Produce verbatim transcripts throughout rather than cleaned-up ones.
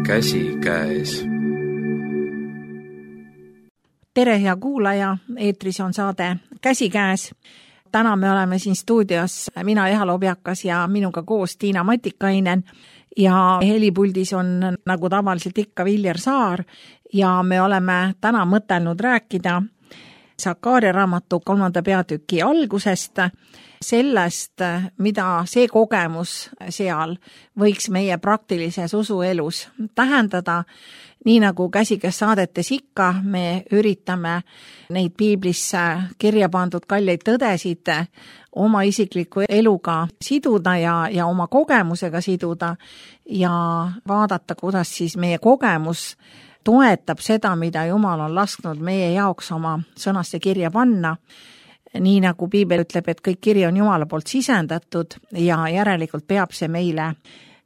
käsikäes. Tere, hea kuulaja, eetris on saade Käsikäes. Täna me oleme siin stuudios, mina Eha Lobjakas ja minuga koos Tiina Matikainen ja helipuldis on nagu tavaliselt ikka Viljar Saar ja me oleme täna mõtelnud rääkida Sakaaria raamatu kolmanda peatüki algusest, sellest, mida see kogemus seal võiks meie praktilises usuelus tähendada. Nii nagu Käsikäes saadetes ikka, me üritame neid piiblisse kirja pandud kalleid tõdesid oma isikliku eluga siduda ja, ja oma kogemusega siduda ja vaadata, kuidas siis meie kogemus toetab seda, mida Jumal on lasknud meie jaoks oma sõnasse kirja panna. Nii nagu piibel ütleb, et kõik kiri on Jumala poolt sisendatud ja järelikult peab see meile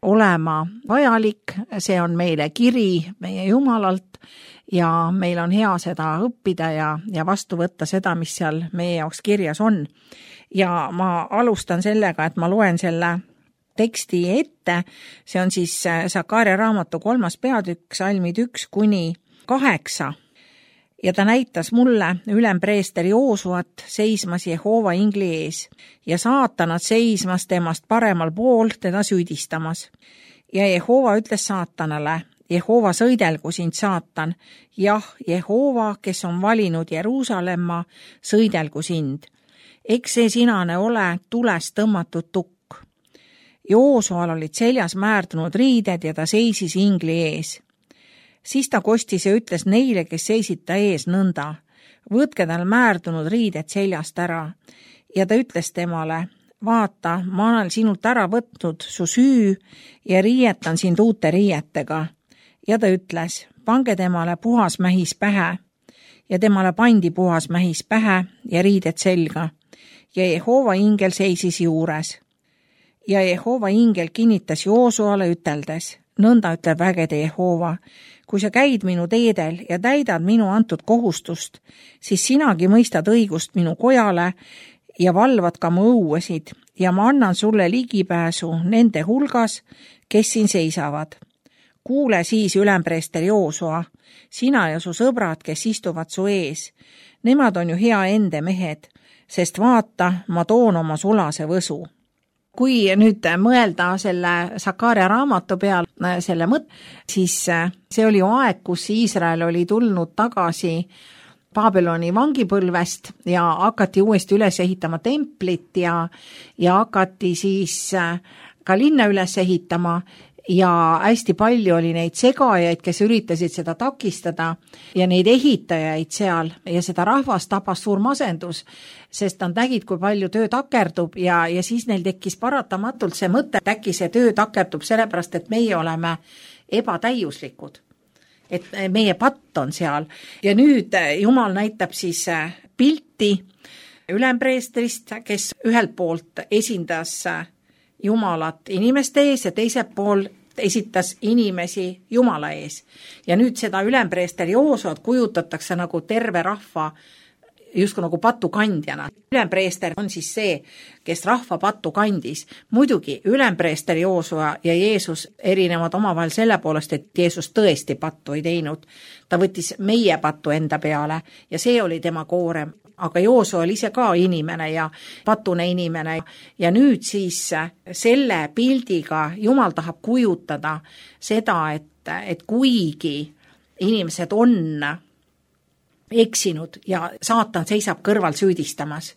olema vajalik, see on meile kiri meie Jumalalt ja meil on hea seda õppida ja, ja vastu võtta seda, mis seal meie jaoks kirjas on. Ja ma alustan sellega, et ma loen selle teksti ette, see on siis Sakaaria raamatu kolmas peatükk, salmid üks kuni kaheksa. Ja ta näitas mulle ülempreester Joosuat seismas Jehova ingli ees ja saatanad seismas temast paremal pool teda süüdistamas. Ja Jehova ütles saatanale, Jehova sõidelgu sind saatan, jah, Jehova, kes on valinud Jeruusalemma, sõidelgu sind. Eks see sinane ole tulest tõmmatud tukk. Joosual olid seljas määrdunud riided ja ta seisis ingli ees. Siis ta kostis ja ütles neile, kes seisid ta ees nõnda, võtke tal määrdunud riided seljast ära. Ja ta ütles temale, vaata, ma olen sinult ära võtnud su süü ja riietan sind uute riietega. Ja ta ütles, pange temale puhas mähis pähe. Ja temale pandi puhas mähis pähe ja riided selga. Ja Jehova ingel seisis juures. Ja Jehova ingel kinnitas Joosuale üteldes, nõnda ütleb vägede Jehova, kui sa käid minu teedel ja täidad minu antud kohustust, siis sinagi mõistad õigust minu kojale ja valvad ka mu õuesid ja ma annan sulle ligipääsu nende hulgas, kes siin seisavad. Kuule siis ülempreester Joosua, sina ja su sõbrad, kes istuvad su ees. Nemad on ju hea ende mehed, sest vaata, ma toon oma sulase võsu. Kui nüüd mõelda selle Sakaaria raamatu peal selle mõt, siis see oli ju aeg, kus Iisrael oli tulnud tagasi Babyloni vangipõlvest ja hakati uuesti üles ehitama templit ja, ja hakati siis ka linna üles ehitama ja hästi palju oli neid segajaid, kes üritasid seda takistada ja neid ehitajaid seal ja seda rahvast tabas suur masendus, sest nad nägid, kui palju töö takerdub ja, ja siis neil tekkis paratamatult see mõte, et äkki see töö takerdub sellepärast, et meie oleme ebatäiuslikud. Et meie patt on seal ja nüüd Jumal näitab siis pilti ülempreestrist, kes ühelt poolt esindas Jumalat inimeste ees ja teiselt pool esitas inimesi Jumala ees. Ja nüüd seda ülempreester Joosut kujutatakse nagu terve rahva justkui nagu patukandjana. Ülempreester on siis see, kes rahva pattu kandis. Muidugi ülempreester Joosua ja Jeesus erinevad omavahel selle poolest, et Jeesus tõesti pattu ei teinud. Ta võttis meie pattu enda peale ja see oli tema koorem. Aga Joosua oli ise ka inimene ja patune inimene. Ja nüüd siis selle pildiga Jumal tahab kujutada seda, et, et kuigi inimesed on eksinud ja saatan seisab kõrval süüdistamas.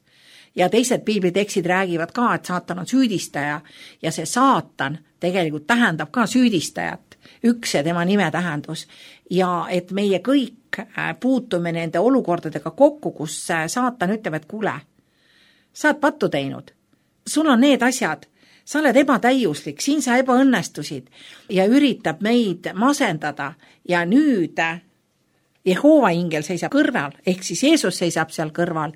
Ja teised piiblitekstid räägivad ka, et saatan on süüdistaja ja see saatan tegelikult tähendab ka süüdistajat, üks ja tema nime tähendus. Ja et meie kõik puutume nende olukordadega kokku, kus saatan ütleb, et kuule, sa oled pattu teinud, sul on need asjad, sa oled ebatäiuslik, siin sa ebaõnnestusid ja üritab meid masendada ja nüüd Jehova ingel seisab kõrval, ehk siis Jeesus seisab seal kõrval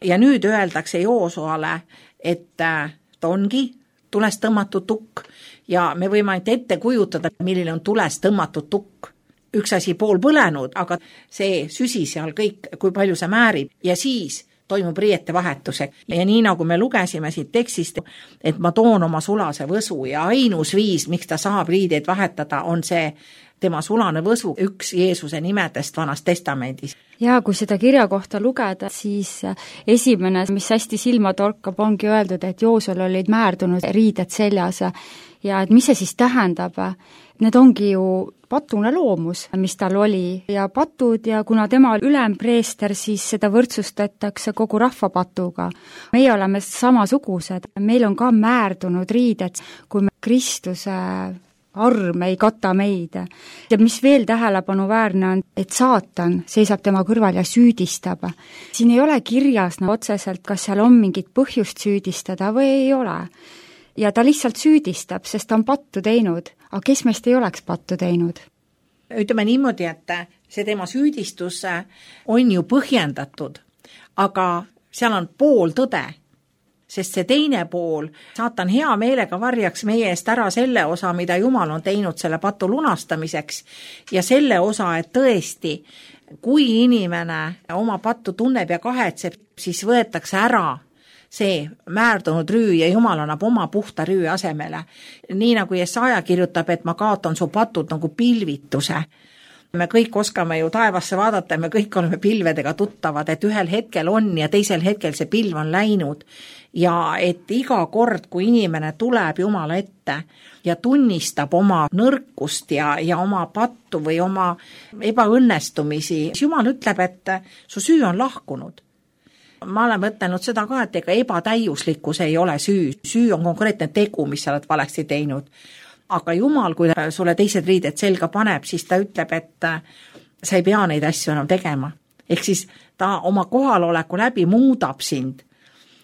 ja nüüd öeldakse Joosuale, et ta ongi tulest tõmmatud tukk ja me võime ainult ette kujutada, milline on tulest tõmmatud tukk. Üks asi pool põlenud, aga see süsi seal kõik, kui palju see määrib ja siis toimub riiete vahetuse. Ja nii nagu me lugesime siit tekstist, et ma toon oma sulase võsu ja ainus viis, miks ta saab riideid vahetada, on see tema sulane võsu, üks Jeesuse nimedest Vanas Testamendis. Ja kui seda kirja kohta lugeda, siis esimene, mis hästi silma torkab, ongi öeldud, et Joosel olid määrdunud riided seljas ja et mis see siis tähendab? Need ongi ju patune loomus, mis tal oli ja patud ja kuna tema oli ülempreester, siis seda võrdsustatakse kogu rahva patuga. Meie oleme samasugused, meil on ka määrdunud riided, kui me Kristuse arm ei kata meid. Ja mis veel tähelepanuväärne on, et saatan seisab tema kõrval ja süüdistab. Siin ei ole kirjas no, otseselt, kas seal on mingit põhjust süüdistada või ei ole. Ja ta lihtsalt süüdistab, sest ta on pattu teinud. Aga kes meist ei oleks pattu teinud? Ütleme niimoodi, et see tema süüdistus on ju põhjendatud, aga seal on pool tõde, sest see teine pool, saatan hea meelega varjaks meie eest ära selle osa, mida Jumal on teinud selle patu lunastamiseks ja selle osa, et tõesti, kui inimene oma pattu tunneb ja kahetseb, siis võetakse ära see määrdunud rüü ja Jumal annab oma puhta rüü asemele. Nii nagu Jesaja kirjutab, et ma kaotan su patud nagu pilvituse. Me kõik oskame ju taevasse vaadata ja me kõik oleme pilvedega tuttavad, et ühel hetkel on ja teisel hetkel see pilv on läinud. Ja et iga kord, kui inimene tuleb Jumala ette ja tunnistab oma nõrkust ja, ja oma pattu või oma ebaõnnestumisi, Jumal ütleb, et su süü on lahkunud. Ma olen mõtlenud seda ka, et ega ebatäiuslikkus ei ole süü. Süü on konkreetne tegu, mis sa oled valesti teinud. Aga Jumal, kui sulle teised riided selga paneb, siis ta ütleb, et sa ei pea neid asju enam tegema. Ehk siis ta oma kohaloleku läbi muudab sind.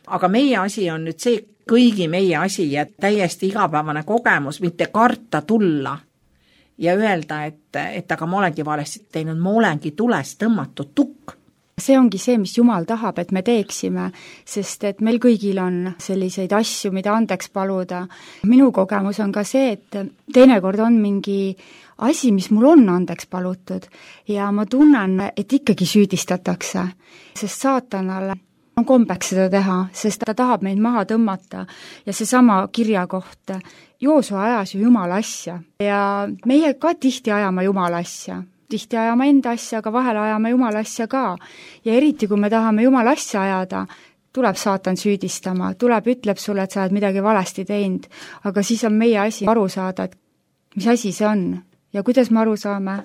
Aga meie asi on nüüd see kõigi meie asi ja täiesti igapäevane kogemus, mitte karta tulla ja öelda, et, et aga ma olengi valesti teinud, ma olengi tulest tõmmatud tukk. See ongi see, mis Jumal tahab, et me teeksime, sest et meil kõigil on selliseid asju, mida andeks paluda. Minu kogemus on ka see, et teinekord on mingi asi, mis mul on andeks palutud ja ma tunnen, et ikkagi süüdistatakse, sest saatanal on kombeks seda teha, sest ta tahab meid maha tõmmata ja seesama kirja kohta. Joosua ajas ju Jumala asja ja meie ka tihti ajame Jumala asja. Tihti ajame enda asja, aga vahel ajame Jumala asja ka. Ja eriti, kui me tahame Jumala asja ajada, tuleb saatan süüdistama, tuleb, ütleb sulle, et sa oled midagi valesti teinud, aga siis on meie asi aru saada, et mis asi see on ja kuidas me aru saame.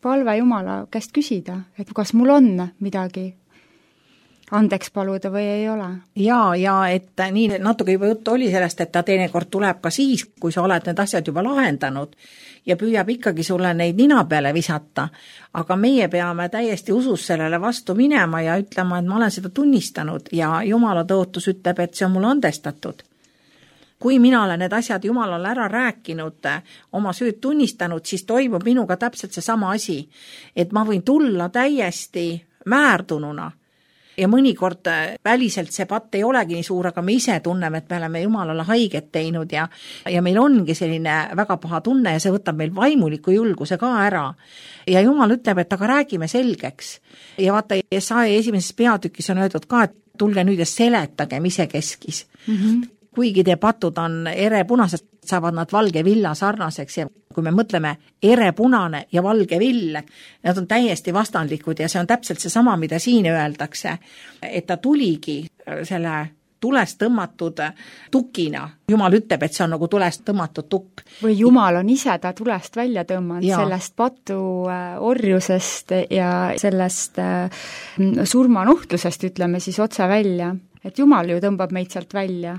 Palve Jumala käest küsida, et kas mul on midagi andeks paluda või ei ole. Ja, ja et nii natuke juba juttu oli sellest, et ta teinekord tuleb ka siis, kui sa oled need asjad juba lahendanud ja püüab ikkagi sulle neid nina peale visata, aga meie peame täiesti usus sellele vastu minema ja ütlema, et ma olen seda tunnistanud ja Jumala tõotus ütleb, et see on mulle andestatud. Kui mina olen need asjad Jumalale ära rääkinud, oma süüd tunnistanud, siis toimub minuga täpselt see sama asi, et ma võin tulla täiesti määrdununa ja mõnikord väliselt see patt ei olegi nii suur, aga me ise tunneme, et me oleme Jumalale haiget teinud ja, ja meil ongi selline väga paha tunne ja see võtab meil vaimuliku julguse ka ära. Ja Jumal ütleb, et aga räägime selgeks. Ja vaata, Jesaja esimeses peatükis on öeldud ka, et tulge nüüd ja seletagem ise keskis. Mm-hmm. Kuigi te patud on erepunased, saavad nad valge villa sarnaseks ja kui me mõtleme erepunane ja valge vill, nad on täiesti vastandlikud ja see on täpselt see sama, mida siin öeldakse, et ta tuligi selle tulest tõmmatud tukina. Jumal ütleb, et see on nagu tulest tõmmatud tukk. Või Jumal on ise ta tulest välja tõmmanud ja. Sellest patu orjusest ja sellest surmanuhtlusest, ütleme siis otse välja. Et Jumal ju tõmbab meid sealt välja.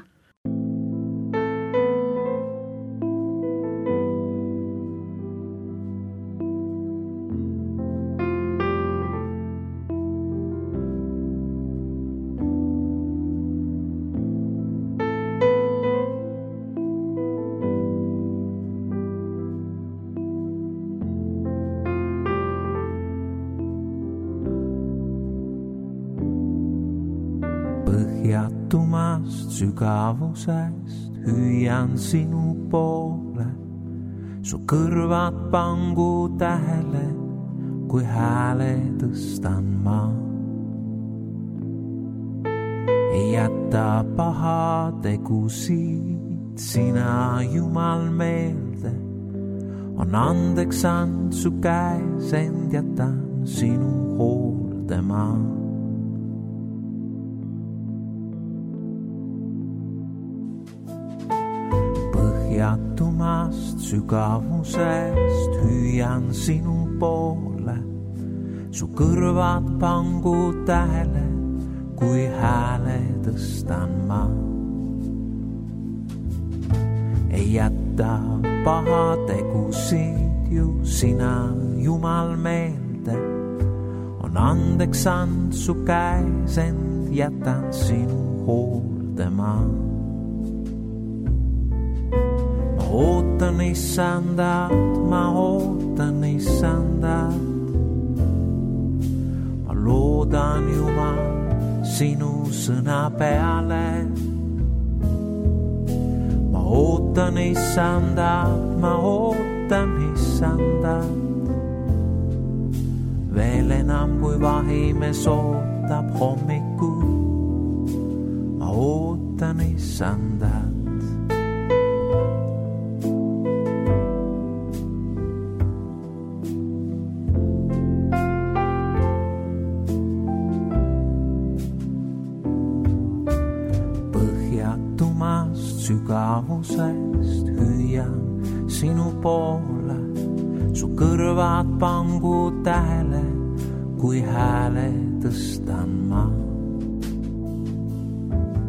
Põhjatumast sügavusest hüüan sinu poole, su kõrvad pangu tähele, kui hääle tõstan ma. Ei jäta paha tegusid sina Jumal meelde, on andeks and su käes, end jätan sinu hooldama. Põhjatumast sügavusest hüüan sinu poole, su kõrvad pangu tähele, kui hääle tõstan ma. Ei jätta paha tegusid ju sina, Jumal, meelde. On andeks and su käes, end jätan sinu hooldama. Ma ootan issandat, ma ootan issandat. Ma loodan, Jumal, sinu sõna peale. Ma ootan issandat, ma ootan issandat. Veel enam kui vahimes ootab hommiku. Ma ootan issandat. Sügavusest hüüan sinu poole, su kõrvad pangu tähele, kui hääle tõstan ma.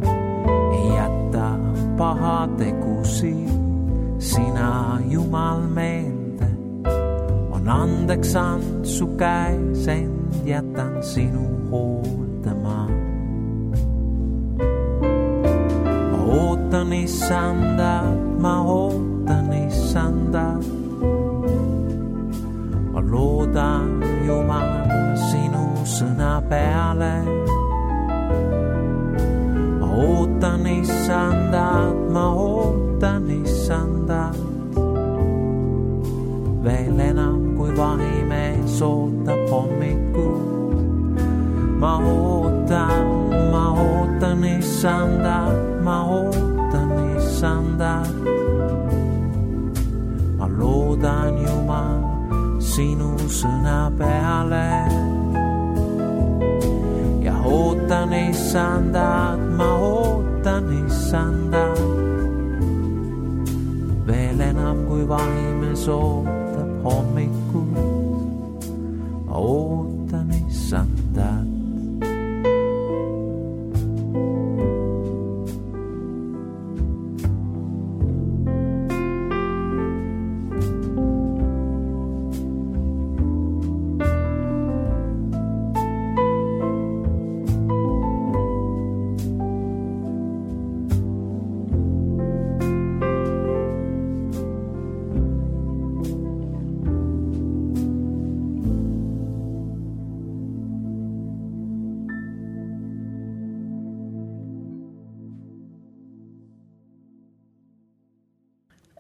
Ei jäta paha tegusid sina, Jumal, meelde. On andeks and su käes, end jätan sinu hooldama. Ootan issandat, ma ootan issandat. Ma loodan, Jumal, sinu sõna peale. Ma ootan issandat, ma ootan issandat. Veel enam kui vahimees ootab hommiku. Ma ootan, ma ootan issandat. Ma ootan issandat. Ma loodan, Jumal, sinu sõna peale. Ja ootan issandat, ma ootan issandat. Veel enam kui vahimes ootab hommikul. Ma ootan issandat.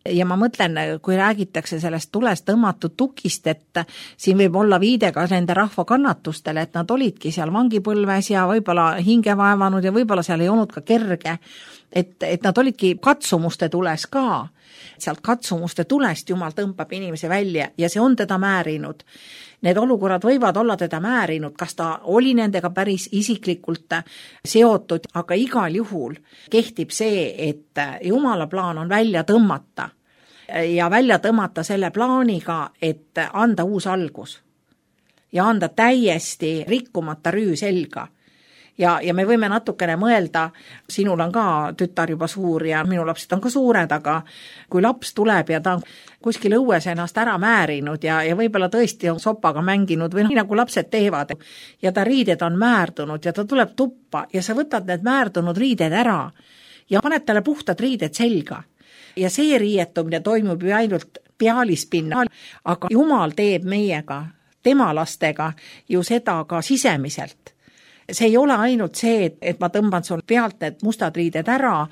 Ja ma mõtlen, kui räägitakse sellest tulest tõmmatud tukist, et siin võib olla viide ka nende rahva kannatustele, et nad olidki seal vangipõlves ja võib-olla hinge vaevanud ja võib-olla seal ei olnud ka kerge, et, et nad olidki katsumuste tules ka. Sealt katsumuste tulest Jumal tõmbab inimese välja ja see on teda määrinud. Need olukorrad võivad olla teda määrinud, kas ta oli nendega päris isiklikult seotud, aga igal juhul kehtib see, et Jumala plaan on välja tõmmata ja välja tõmmata selle plaaniga, et anda uus algus ja anda täiesti rikkumata rüü selga. Ja, ja me võime natukene mõelda, sinul on ka tütar juba suur ja minu lapsed on ka suured, aga kui laps tuleb ja ta on kuskil õues ennast ära määrinud ja, ja võib-olla tõesti on sopaga mänginud või nii nagu lapsed teevad ja ta riided on määrdunud ja ta tuleb tuppa ja sa võtad need määrdunud riided ära ja paned talle puhtad riided selga. Ja see riietumine toimub ju ainult pealispinnal, aga Jumal teeb meiega, tema lastega ju seda ka sisemiselt. See ei ole ainult see, et ma tõmban sul pealt need mustad riided ära,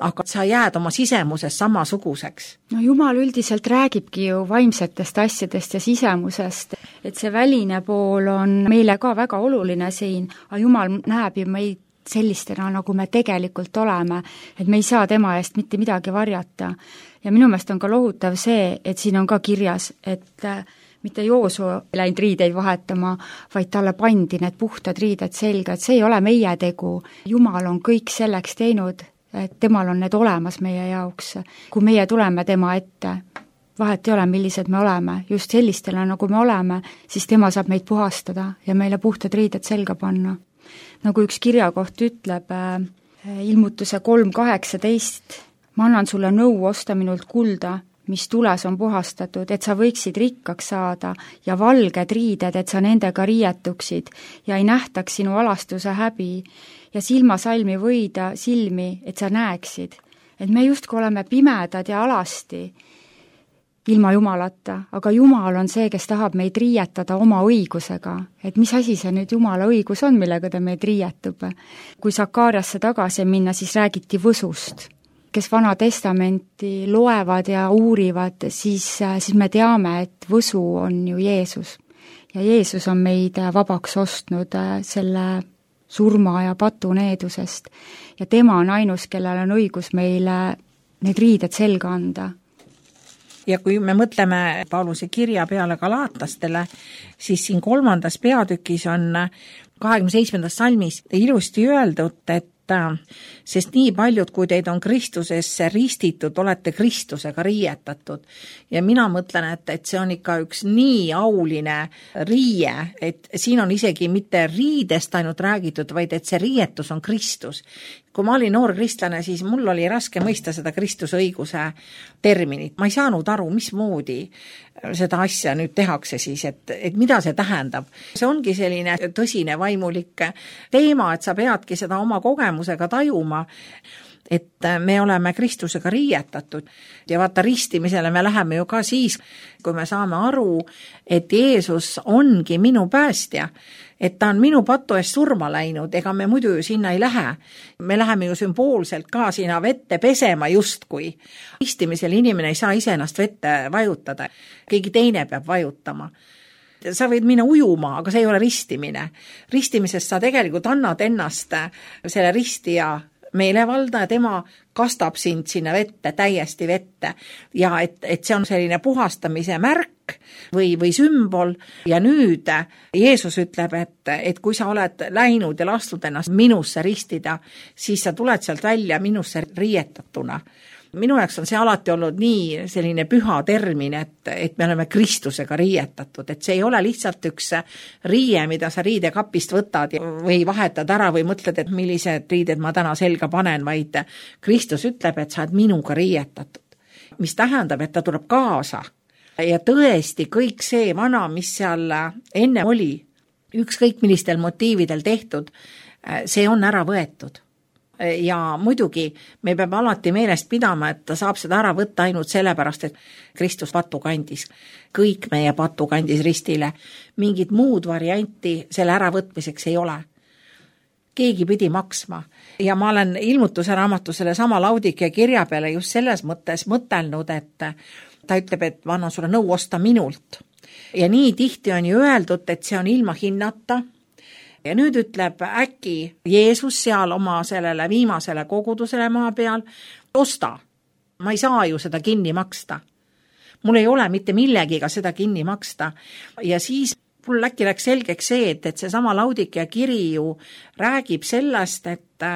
aga sa jääd oma sisemuses samasuguseks. No Jumal üldiselt räägibki ju vaimsetest asjadest ja sisemusest, et see väline pool on meile ka väga oluline siin, aga Jumal näeb ju meid sellistena, nagu me tegelikult oleme, et me ei saa tema eest mitte midagi varjata. Ja minu meelest on ka lohutav see, et siin on ka kirjas, et mitte Joosu läinud riideid vahetama, vaid talle pandi need puhtad riided selga, et see ei ole meie tegu. Jumal on kõik selleks teinud, et temal on need olemas meie jaoks. Kui meie tuleme tema ette, vahet ei ole, millised me oleme, just sellistele, nagu me oleme, siis tema saab meid puhastada ja meile puhtad riided selga panna. Nagu üks kirjakoht ütleb, ilmutuse kolm kaheksateist, ma annan sulle nõu osta minult kulda, mis tules on puhastatud, et sa võiksid rikkaks saada ja valged riided, et sa nendega riietuksid ja ei nähtaks sinu alastuse häbi ja silmasalmi võida silmi, et sa näeksid. Et me justkui oleme pimedad ja alasti ilma Jumalata, aga Jumal on see, kes tahab meid riietada oma õigusega. Et mis asi see nüüd Jumala õigus on, millega ta meid riietub? Kui Sakariasse tagasi minna, siis räägiti võsust. Kes Vana Testamenti loevad ja uurivad, siis, siis me teame, et võsu on ju Jeesus. Ja Jeesus on meid vabaks ostnud selle surma ja patuneedusest. Ja tema on ainus, kellel on õigus meile need riided selga anda. Ja kui me mõtleme Pauluse kirja peale galaatlastele, siis siin kolmandas peatükis on kahekümne seitsmendas salmis ilusti öeldud, et sest nii paljud, kui teid on Kristusesse ristitud, olete Kristusega riietatud. Ja mina mõtlen, et, et see on ikka üks nii auline riie, et siin on isegi mitte riidest ainult räägitud, vaid et see riietus on Kristus. Kui ma olin noor kristlane, siis mul oli raske mõista seda Kristuse õiguse terminit. Ma ei saanud aru, mismoodi seda asja nüüd tehakse siis, et, et mida see tähendab. See ongi selline tõsine vaimulik teema, et sa peadki seda oma kogemusega tajuma, et me oleme Kristusega riietatud. Ja vaata, ristimisele me läheme ju ka siis, kui me saame aru, et Jeesus ongi minu päästja, et ta on minu patu eest surma läinud, ega me muidu ju sinna ei lähe. Me läheme ju sümboolselt ka sinna vette pesema justkui. Ristimisel inimene ei saa ise ennast vette vajutada, keegi teine peab vajutama. Sa võid minna ujuma, aga see ei ole ristimine. Ristimisest sa tegelikult annad ennast selle ristija meelevalda ja tema kastab sind sinna vette, täiesti vette. Ja et, et see on selline puhastamise märk või, või sümbol. Ja nüüd Jeesus ütleb, et, et kui sa oled läinud ja lastud ennast minusse ristida, siis sa tuled sealt välja minusse riietatuna. Minu jaoks on see alati olnud nii selline püha termin, et, et me oleme Kristusega riietatud, et see ei ole lihtsalt üks riie, mida sa riidekapist võtad või vahetad ära või mõtled, et millised riided ma täna selga panen, vaid Kristus ütleb, et sa oled minuga riietatud, mis tähendab, et ta tuleb kaasa. Ja tõesti kõik see vana, mis seal enne oli, ükskõik millistel motiividel tehtud, see on ära võetud. Ja muidugi me peame alati meelest pidama, et ta saab seda ära võtta ainult sellepärast, et Kristus patu kandis. Kõik meie patu kandis ristile. Mingit muud varianti selle äravõtmiseks ei ole. Keegi pidi maksma. Ja ma olen ilmutuse raamatu selle sama Laudikea kirja peale just selles mõttes mõtelnud, et ta ütleb, et ma annan sulle nõu osta minult. Ja nii tihti on ju öeldud, et see on ilma hinnata. Ja nüüd ütleb äkki Jeesus seal oma sellele viimasele kogudusele maa peal, osta, ma ei saa ju seda kinni maksta. Mul ei ole mitte millegiga seda kinni maksta. Ja siis mul äkki läks selgeks see, et, et see sama Laudikea kiri ju räägib sellest, et,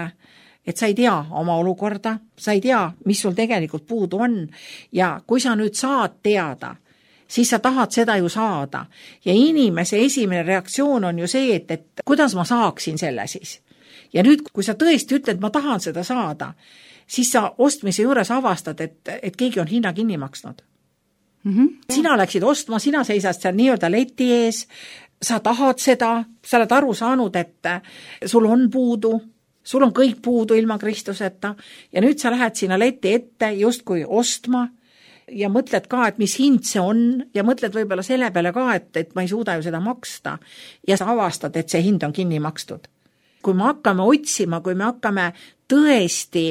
et sa ei tea oma olukorda, sa ei tea, mis sul tegelikult puudu on. Ja kui sa nüüd saad teada, siis sa tahad seda ju saada. Ja inimese esimene reaktsioon on ju see, et, et kuidas ma saaksin selle siis. Ja nüüd, kui sa tõesti ütled, ma tahan seda saada, siis sa ostmise juures avastad, et, et keegi on hinna kinni maksnud. Mm-hmm. Sina läksid ostma, sina seisad seal nii-öelda leti ees, sa tahad seda, sa oled aru saanud, et sul on puudu, sul on kõik puudu ilma Kristuseta ja nüüd sa lähed sinna leti ette justkui ostma, ja mõtled ka, et mis hind see on ja mõtled võib-olla selle peale ka, et, et ma ei suuda ju seda maksta ja sa avastad, et see hind on kinni makstud. Kui me hakkame otsima, kui me hakkame tõesti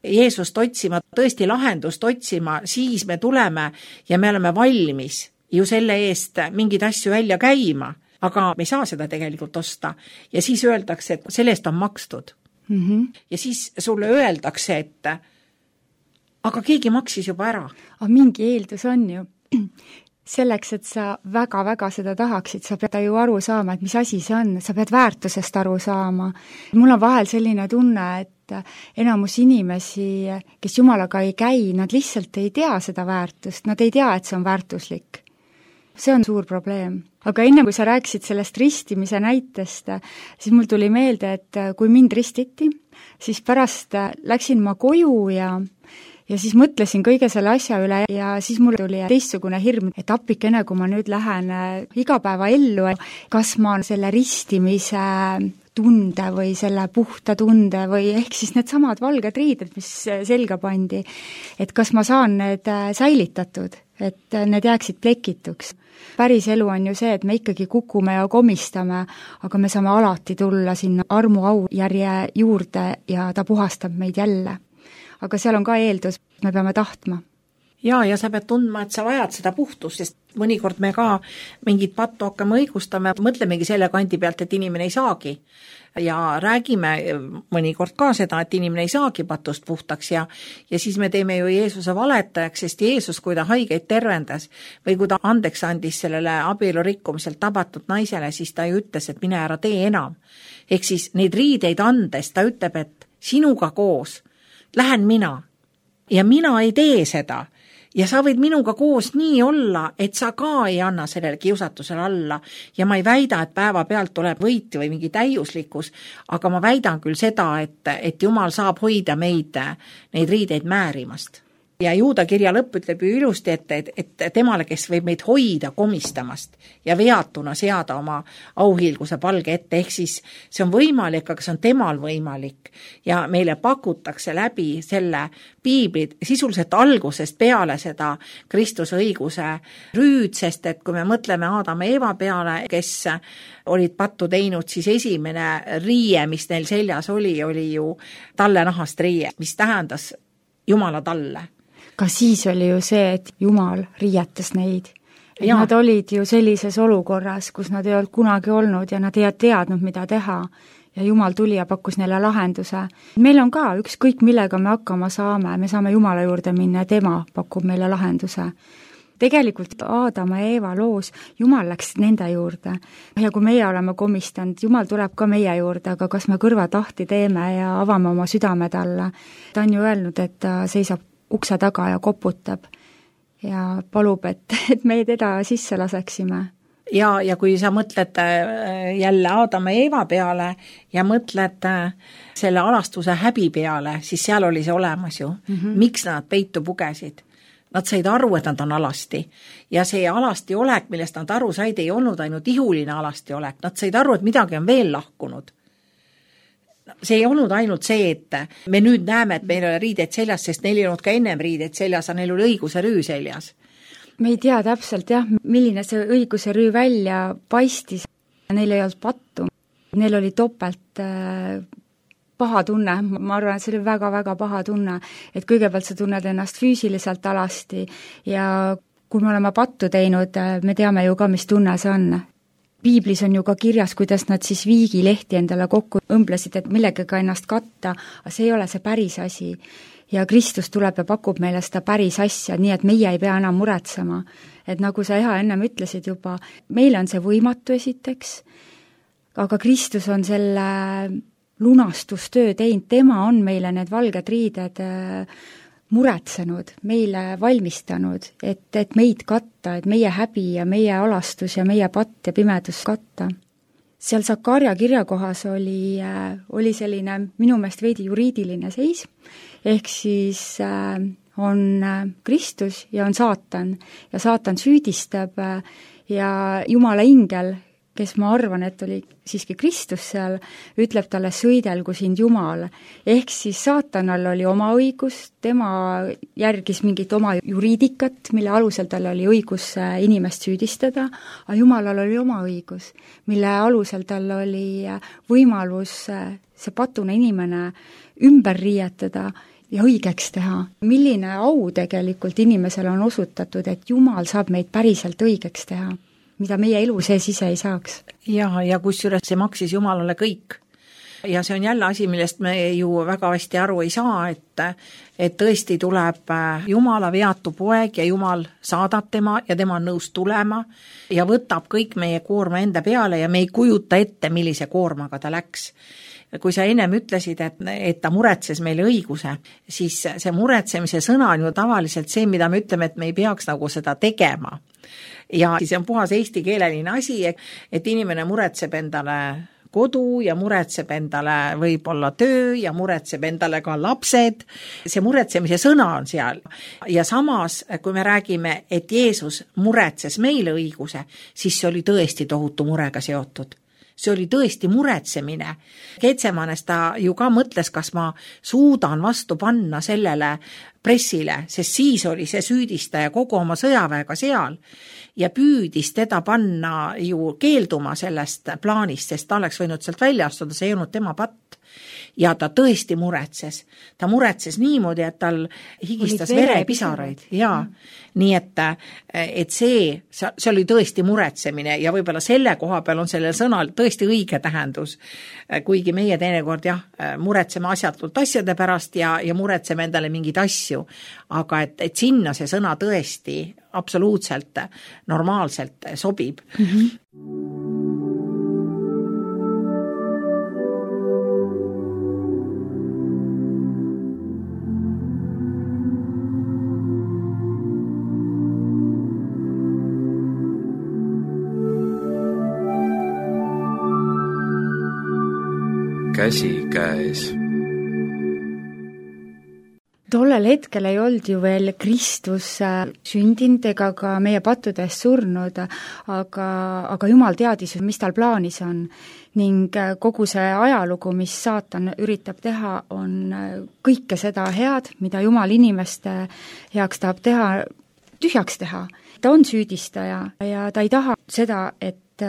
Jeesust otsima, tõesti lahendust otsima, siis me tuleme ja me oleme valmis ju selle eest mingid asju välja käima, aga me ei saa seda tegelikult osta ja siis öeldakse, et selle eest on makstud. Mm-hmm. Ja siis sulle öeldakse, et aga keegi maksis juba ära. Aga mingi eeldus on ju. Selleks, et sa väga-väga seda tahaksid, sa pead ju aru saama, et mis asi see on, sa pead väärtusest aru saama. Mul on vahel selline tunne, et enamus inimesi, kes Jumalaga ei käi, nad lihtsalt ei tea seda väärtust, nad ei tea, et see on väärtuslik. See on suur probleem. Aga enne, kui sa rääkisid sellest ristimise näitest, siis mul tuli meelde, et kui mind ristiti, siis pärast läksin ma koju ja Ja siis mõtlesin kõige selle asja üle ja siis mul tuli teistsugune hirm, et appikene, kui ma nüüd lähen igapäeva ellu, kas ma selle ristimise tunde või selle puhta tunde või ehk siis need samad valged riided, mis selga pandi, et kas ma saan need säilitatud, et need jääksid plekituks. Päris elu on ju see, et me ikkagi kukume ja komistame, aga me saame alati tulla sinna armu au järje juurde ja ta puhastab meid jälle. Aga seal on ka eeldus, me peame tahtma. Jaa, ja sa pead tundma, et sa vajad seda puhtust, sest mõnikord me ka mingit pattu hakkame õigustama, mõtlemegi selle kandi pealt, et inimene ei saagi. Ja räägime mõnikord ka seda, et inimene ei saagi patust puhtaks ja, ja siis me teeme ju Jeesuse valetajaks, sest Jeesus, kui ta haigeid tervendas või kui ta andeks andis sellele abielu rikkumiselt tabatud naisele, siis ta ju ütles, et mine ära tee enam. Ehk siis neid riideid andes ta ütleb, et sinuga koos lähen mina ja mina ei tee seda ja sa võid minuga koos nii olla, et sa ka ei anna sellele kiusatusele alla ja ma ei väida, et päeva pealt tuleb võit või mingi täiuslikkus, aga ma väidan küll seda, et, et Jumal saab hoida meid neid riideid määrimast. Ja Juuda kirja lõpp ütleb ju ilusti, et, et, et temale, kes võib meid hoida komistamast ja veatuna seada oma auhiilguse palge ette, ehk siis see on võimalik, aga see on temal võimalik ja meile pakutakse läbi selle piiblit sisuliselt algusest peale seda Kristuse õiguse rüüd, sest et kui me mõtleme Aadam ja Eeva peale, kes olid pattu teinud, siis esimene riie, mis neil seljas oli, oli ju tallenahast riie, mis tähendas Jumala talle. Ka siis oli ju see, et Jumal riietas neid. Et Ja. nad olid ju sellises olukorras, kus nad ei olnud kunagi olnud ja nad ei teadnud, mida teha. Ja Jumal tuli ja pakkus neile lahenduse. Meil on ka ükskõik, millega me hakkama saame, me saame Jumala juurde minna ja tema pakub meile lahenduse. Tegelikult Aadama ja Eeva loos Jumal läks nende juurde. Ja kui meie oleme komistanud, Jumal tuleb ka meie juurde, aga kas me kõrva tahti teeme ja avame oma südame talle. Ta on ju öelnud, et ta seisab ukse taga ja koputab ja palub, et, et me teda sisse laseksime. Ja, ja kui sa mõtled jälle Aadama ja Eeva peale ja mõtled selle alastuse häbi peale, siis seal oli see olemas ju. Mm-hmm. Miks nad peitu pugesid? Nad said aru, et nad on alasti. Ja see alasti olek, millest nad aru said, ei olnud ainult ihuline alasti olek. Nad said aru, et midagi on veel lahkunud. See ei olnud ainult see, et me nüüd näeme, et meil ei ole riideid seljas, sest neil ei olnud ka ennem riideid seljas, aga neil oli õiguse rüü seljas. Me ei tea täpselt jah, milline see õiguse rüü välja paistis. Neil ei olnud pattu. Neil oli topelt äh, paha tunne. Ma arvan, et see oli väga-väga paha tunne. Et kõigepealt sa tunned ennast füüsiliselt alasti ja kui me oleme pattu teinud, me teame ju ka, mis tunne see on. Piiblis on ju ka kirjas, kuidas nad siis viigilehti endale kokku õmblesid, et millegagi ennast katta, aga see ei ole see päris asi. Ja Kristus tuleb ja pakub meile seda päris asja, nii et meie ei pea enam muretsema. Et nagu sa Eha ennem ütlesid juba, meile on see võimatu esiteks, aga Kristus on selle lunastustöö teinud, tema on meile need valged riided muretsenud, meile valmistanud, et, et meid katta, et meie häbi ja meie alastus ja meie patt ja pimedus katta. Seal Sakarja kirjakohas oli, oli selline minu meelest veidi juriidiline seis, ehk siis on Kristus ja on saatan ja saatan süüdistab ja Jumala ingel, kes ma arvan, et oli siiski Kristus seal, ütleb talle sõidelgu sind Jumal. Ehk siis saatanal oli oma õigus, tema järgis mingit oma juriidikat, mille alusel tal oli õigus inimest süüdistada, aga Jumalal oli oma õigus, mille alusel tal oli võimalus see patune inimene ümber riietada ja õigeks teha. Milline au tegelikult inimesele on osutatud, et Jumal saab meid päriselt õigeks teha, mida meie elu sees ise ei saaks. Ja, ja kusjuures see maksis Jumalale kõik. ja see on jälle asi, millest me ju väga hästi aru ei saa, et, et tõesti tuleb Jumala veatu poeg ja Jumal saadab tema ja tema on nõus tulema ja võtab kõik meie koorma enda peale ja me ei kujuta ette, millise koormaga ta läks. Kui sa ennem ütlesid, et, et ta muretses meile õiguse, siis see muretsemise sõna on ju tavaliselt see, mida me ütleme, et me ei peaks nagu seda tegema. Ja see on puhas eestikeeleline asi, et inimene muretseb endale kodu ja muretseb endale võib-olla töö ja muretseb endale ka lapsed. See muretsemise sõna on seal. Ja samas, kui me räägime, et Jeesus muretses meile õiguse, siis see oli tõesti tohutu murega seotud. See oli tõesti muretsemine. Getsemanes ta ju ka mõtles, kas ma suudan vastu panna sellele pressile, sest siis oli see süüdistaja kogu oma sõjaväega seal ja püüdis teda panna ju keelduma sellest plaanist, sest ta oleks võinud sealt välja astuda, see ei olnud tema patt. Ja ta tõesti muretses. Ta muretses niimoodi, et tal higistas verepisaraid. Ja, nii et, et see, see oli tõesti muretsemine ja võib-olla selle koha peal on sellel sõnal tõesti õige tähendus. Kuigi meie teinekord jah, muretseme asjatult asjade pärast ja, ja muretseme endale mingeid asju. Aga et, et sinna see sõna tõesti absoluutselt normaalselt sobib. Mm-hmm. Käsi käes. Tollel hetkel ei olnud ju veel Kristus sündinud ega ka meie pattudes surnud, aga, aga Jumal teadis, mis tal plaanis on. Ning kogu see ajalugu, mis saatan üritab teha, on kõike seda head, mida Jumal inimeste heaks tahab teha, tühjaks teha. Ta on süüdistaja ja ta ei taha seda, et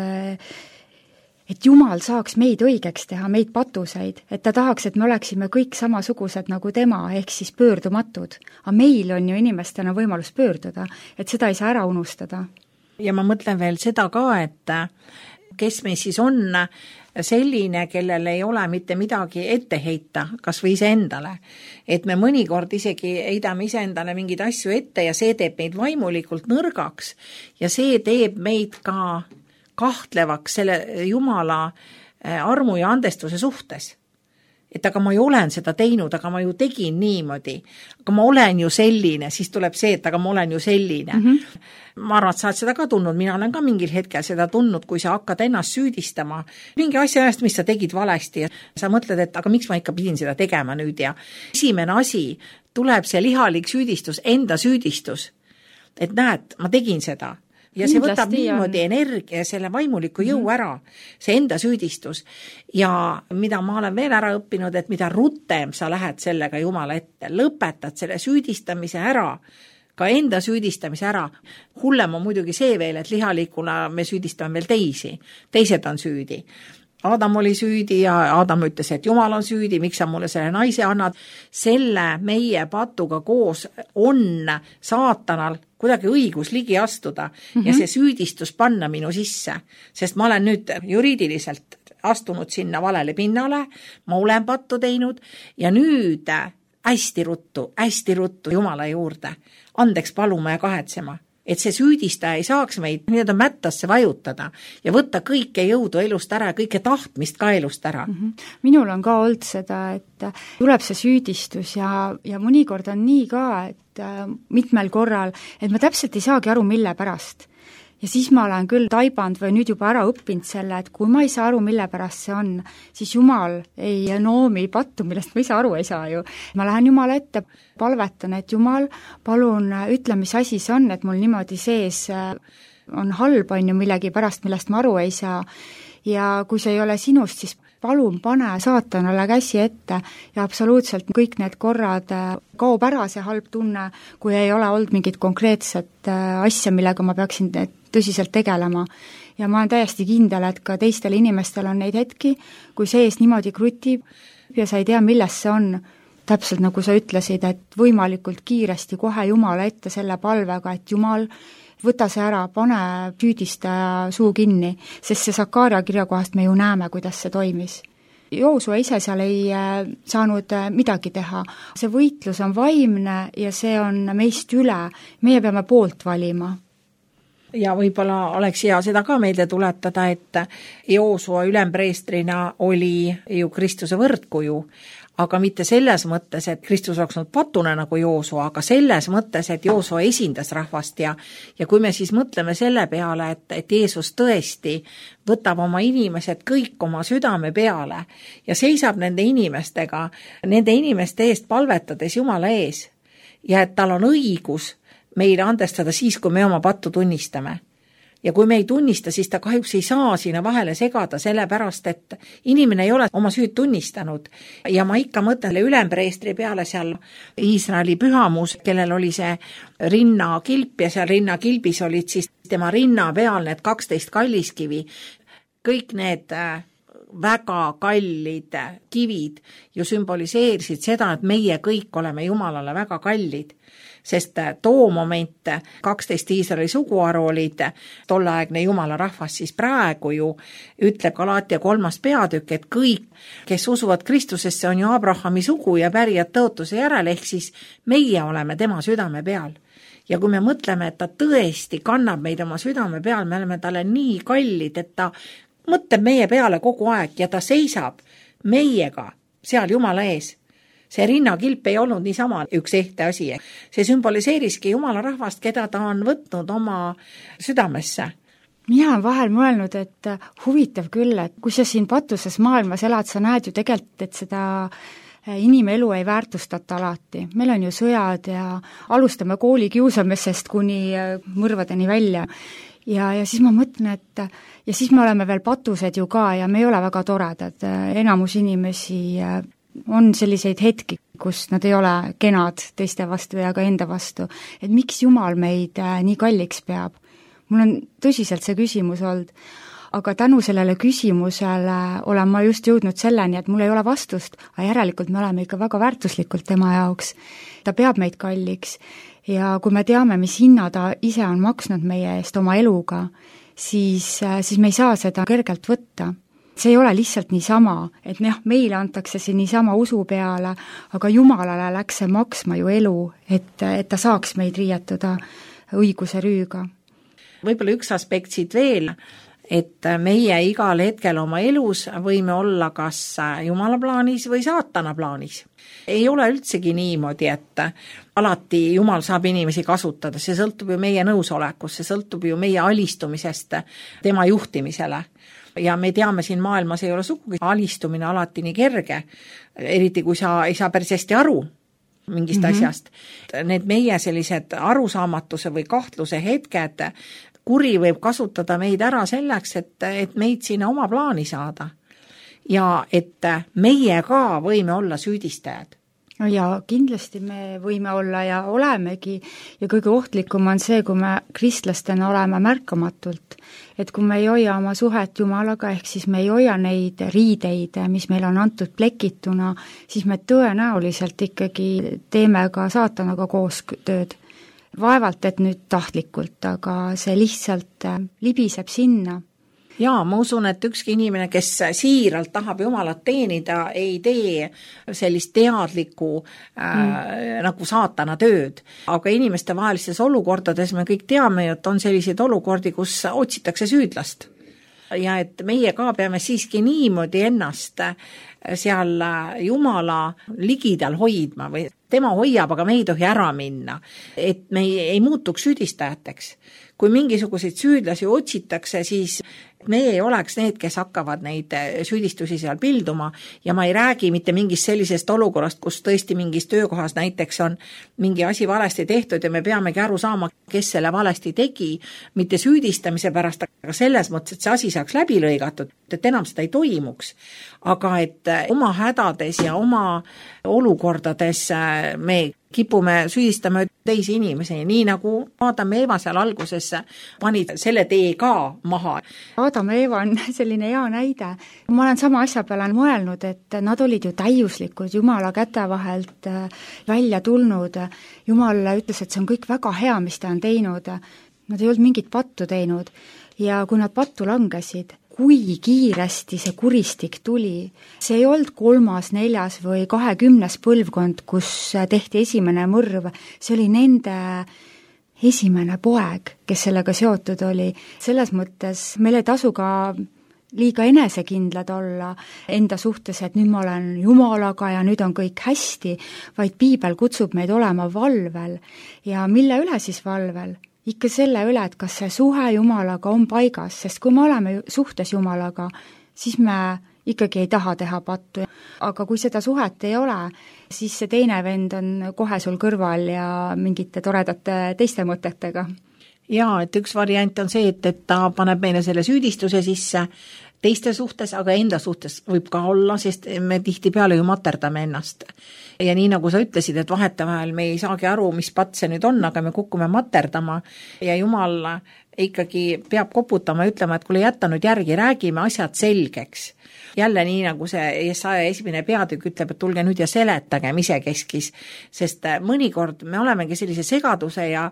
et Jumal saaks meid õigeks teha, meid patuseid, et ta tahaks, et me oleksime kõik samasugused nagu tema, ehk siis pöördumatud. Aga meil on ju inimestena võimalus pöörduda, et seda ei saa ära unustada. Ja ma mõtlen veel seda ka, et kes me siis on selline, kellel ei ole mitte midagi ette heita, kas või ise endale. Et me mõnikord isegi heidame ise endale mingeid asju ette ja see teeb meid vaimulikult nõrgaks ja see teeb meid ka kahtlevaks selle Jumala armu ja andestuse suhtes. Et aga ma ju olen seda teinud, aga ma ju tegin niimoodi. Aga ma olen ju selline, siis tuleb see, et aga ma olen ju selline. Mm-hmm. Ma arvan, et sa oled seda ka tundnud, mina olen ka mingil hetkel seda tundnud, kui sa hakkad ennast süüdistama. Mingi asja eest, mis sa tegid valesti. Sa mõtled, et aga miks ma ikka pidin seda tegema nüüd ja esimene asi tuleb see lihalik süüdistus, enda süüdistus. Et näed, ma tegin seda. Ja see võtab niimoodi energia, selle vaimuliku jõu ära, see enda süüdistus. Ja mida ma olen veel ära õppinud, et mida rutem sa lähed sellega Jumala ette, lõpetad selle süüdistamise ära, ka enda süüdistamise ära. Hullem on muidugi see veel, et lihalikuna me süüdistame veel teisi. Teised on süüdi. Adam oli süüdi ja Adam ütles, et Jumal on süüdi, miks sa mulle selle naise annad. Selle meie patuga koos on saatanal kuidagi õigus ligi astuda mm-hmm. ja see süüdistus panna minu sisse, sest ma olen nüüd juriidiliselt astunud sinna valele pinnale, ma olen pattu teinud ja nüüd hästi ruttu, hästi ruttu Jumala juurde, andeks paluma ja kahetsema. Et see süüdistaja ei saaks meid nii-öelda mättasse vajutada ja võtta kõike jõudu elust ära ja kõike tahtmist ka elust ära. Mm-hmm. Minul on ka olnud seda, et tuleb see süüdistus ja, ja mõnikord on nii ka, et mitmel korral, et ma täpselt ei saagi aru, mille pärast. Ja siis ma olen küll taibanud või nüüd juba ära õppinud selle, et kui ma ei saa aru, mille pärast see on, siis Jumal ei noomi pattu, millest ma ise aru ei saa ju. Ma lähen Jumala ette, palvetan, et Jumal, palun ütle, mis asi see on, et mul niimoodi sees on halb, on ju millegi pärast, millest ma aru ei saa. Ja kui see ei ole sinust, siis palun pane saatanale käsi ette ja absoluutselt kõik need korrad kaob ära see halb tunne, kui ei ole olnud mingit konkreetset asja, millega ma peaksin tõsiselt tegelema. Ja ma olen täiesti kindel, et ka teistel inimestel on neid hetki, kui sees niimoodi krutib ja sa ei tea, milles see on. Täpselt nagu sa ütlesid, et võimalikult kiiresti kohe Jumala ette selle palvega, et Jumal, võta see ära, pane süüdistaja suu kinni, sest see Sakaaria kirja kohast me ju näeme, kuidas see toimis. Joosua ise seal ei saanud midagi teha. See võitlus on vaimne ja see on meist üle. Meie peame poolt valima. Ja võib-olla oleks hea seda ka meelde tuletada, et Joosua ülempreestrina oli ju Kristuse võrdkuju, aga mitte selles mõttes, et Kristus oleks olnud patune nagu Joosua, aga selles mõttes, et Joosua esindas rahvast ja, ja kui me siis mõtleme selle peale, et, et Jeesus tõesti võtab oma inimesed kõik oma südame peale ja seisab nende inimestega, nende inimeste eest palvetades Jumala ees ja et tal on õigus meile andestada siis, kui me oma pattu tunnistame. Ja kui me ei tunnista, siis ta kahjuks ei saa sinna vahele segada, sellepärast, et inimene ei ole oma süüd tunnistanud. Ja ma ikka mõtlen ülempreestri peale seal Iisraeli pühamus, kellel oli see rinnakilp ja seal rinnakilbis olid siis tema rinna peal need kaksteist kalliskivi. Kõik need väga kallid kivid ju sümboliseerisid seda, et meie kõik oleme Jumalale väga kallid. Sest too moment kaksteist Iisraeli suguharu olid tolleaegne Jumala rahvas, siis praegu ju ütleb Galaatia kolmas peatükk, et kõik, kes usuvad Kristusesse, on ju Abrahami sugu ja pärijad tõotuse järel, ehk siis meie oleme tema südame peal. Ja kui me mõtleme, et ta tõesti kannab meid oma südame peal, me oleme talle nii kallid, et ta mõtleb meie peale kogu aeg ja ta seisab meiega seal Jumala ees. See rinnakilp ei olnud niisama üks ehte asi. See sümboliseeriski Jumala rahvast, keda ta on võtnud oma südamesse. Mina olen vahel mõelnud, et huvitav küll, et kui sa siin patuses maailmas elad, sa näed ju tegelikult, et seda inimelu ei väärtustata alati. Meil on ju sõjad ja alustame kooli kiusamisest kuni mõrvadeni välja. Ja, ja siis ma mõtlen, et ja siis me oleme veel patused ju ka ja me ei ole väga toredad. Enamus inimesi on selliseid hetki, kus nad ei ole kenad teiste vastu ja ka enda vastu. Et miks Jumal meid nii kalliks peab? Mul on tõsiselt see küsimus olnud, aga tänu sellele küsimusele olen ma just jõudnud selleni, et mul ei ole vastust, aga järelikult me oleme ikka väga väärtuslikult tema jaoks. Ta peab meid kalliks ja kui me teame, mis hinna ta ise on maksnud meie eest oma eluga, siis, siis me ei saa seda kergelt võtta. See ei ole lihtsalt niisama, et jah, meile antakse see niisama usu peale, aga Jumalale läks see maksma ju elu, et, et ta saaks meid riietuda õiguse rüüga. Võib-olla üks aspekt siit veel, et meie igal hetkel oma elus võime olla kas Jumala plaanis või saatana plaanis. Ei ole üldsegi niimoodi, et alati Jumal saab inimesi kasutada, see sõltub ju meie nõusolekust, see sõltub ju meie alistumisest tema juhtimisele. Ja me teame, siin maailmas ei ole sugugi alistumine alati nii kerge, eriti kui sa ei saa päris hästi aru mingist mm-hmm. asjast. Need meie sellised arusaamatuse või kahtluse hetked, kuri võib kasutada meid ära selleks, et, et meid sinna oma plaani saada. Ja et meie ka võime olla süüdistajad. Ja kindlasti me võime olla ja olemegi ja kõige ohtlikum on see, kui me kristlastena oleme märkamatult. Et kui me ei hoia oma suhet Jumalaga, ehk siis me ei hoia neid riideid, mis meil on antud plekituna, siis me tõenäoliselt ikkagi teeme ka saatanaga koos tööd. Vaevalt, et nüüd tahtlikult, aga see lihtsalt libiseb sinna. Jaa, ma usun, et ükski inimene, kes siiralt tahab Jumalat teenida, ei tee sellist teadlikku äh, mm. nagu saatana tööd. Aga inimeste vahelistes olukordades me kõik teame, et on selliseid olukordi, kus otsitakse süüdlast. Ja et meie ka peame siiski niimoodi ennast seal Jumala ligidal hoidma või tema hoiab, aga me ei tohi ära minna, et me ei, ei muutuks süüdistajateks. Kui mingisuguseid süüdlasi otsitakse, siis me ei oleks need, kes hakkavad neid süüdistusi seal pilduma ja ma ei räägi mitte mingist sellisest olukorrast, kus tõesti mingis töökohas näiteks on mingi asi valesti tehtud ja me peamegi aru saama, kes selle valesti tegi, mitte süüdistamise pärast, aga selles mõttes, et see asi saaks läbi lõigatud, et enam seda ei toimuks. Aga et oma hädades ja oma olukordades me kipume süüdistama teisi inimesi, nii nagu Adam ja Eeva seal alguses panid selle tee ka maha. Adam ja Eeva on selline hea näide. Ma olen sama asja peale mõelnud, et nad olid ju täiuslikud, Jumala käte vahelt välja tulnud. Jumal ütles, et see on kõik väga hea, mis ta on teinud. Nad ei olnud mingit pattu teinud ja kui nad pattu langesid, kui kiiresti see kuristik tuli. See ei olnud kolmas, neljas või kahekümnes põlvkond, kus tehti esimene mõrv, see oli nende esimene poeg, kes sellega seotud oli. Selles mõttes meil ei tasu ka liiga enesekindlad olla enda suhtes, et nüüd ma olen Jumalaga ja nüüd on kõik hästi, vaid piibel kutsub meid olema valvel. Ja mille üle siis valvel? Ikka selle üle, et kas see suhe Jumalaga on paigas, sest kui me oleme suhtes Jumalaga, siis me ikkagi ei taha teha pattu. Aga kui seda suhet ei ole, siis see teine vend on kohe sul kõrval ja mingite toredate teiste mõtetega. Jaa, et üks variant on see, et, et ta paneb meile selle süüdistuse sisse teiste suhtes, aga enda suhtes võib ka olla, sest me tihtipeale ju materdame ennast. Ja nii nagu sa ütlesid, et vahetevahel me ei saagi aru, mis patt see nüüd on, aga me kukume materdama ja Jumal ikkagi peab koputama ja ütlema, et kuule jätta nüüd järgi, räägime asjad selgeks. Jälle nii nagu see Jesaja esimene peatükk ütleb, et tulge nüüd ja seletagem isekeskis, sest mõnikord me olemegi sellise segaduse ja,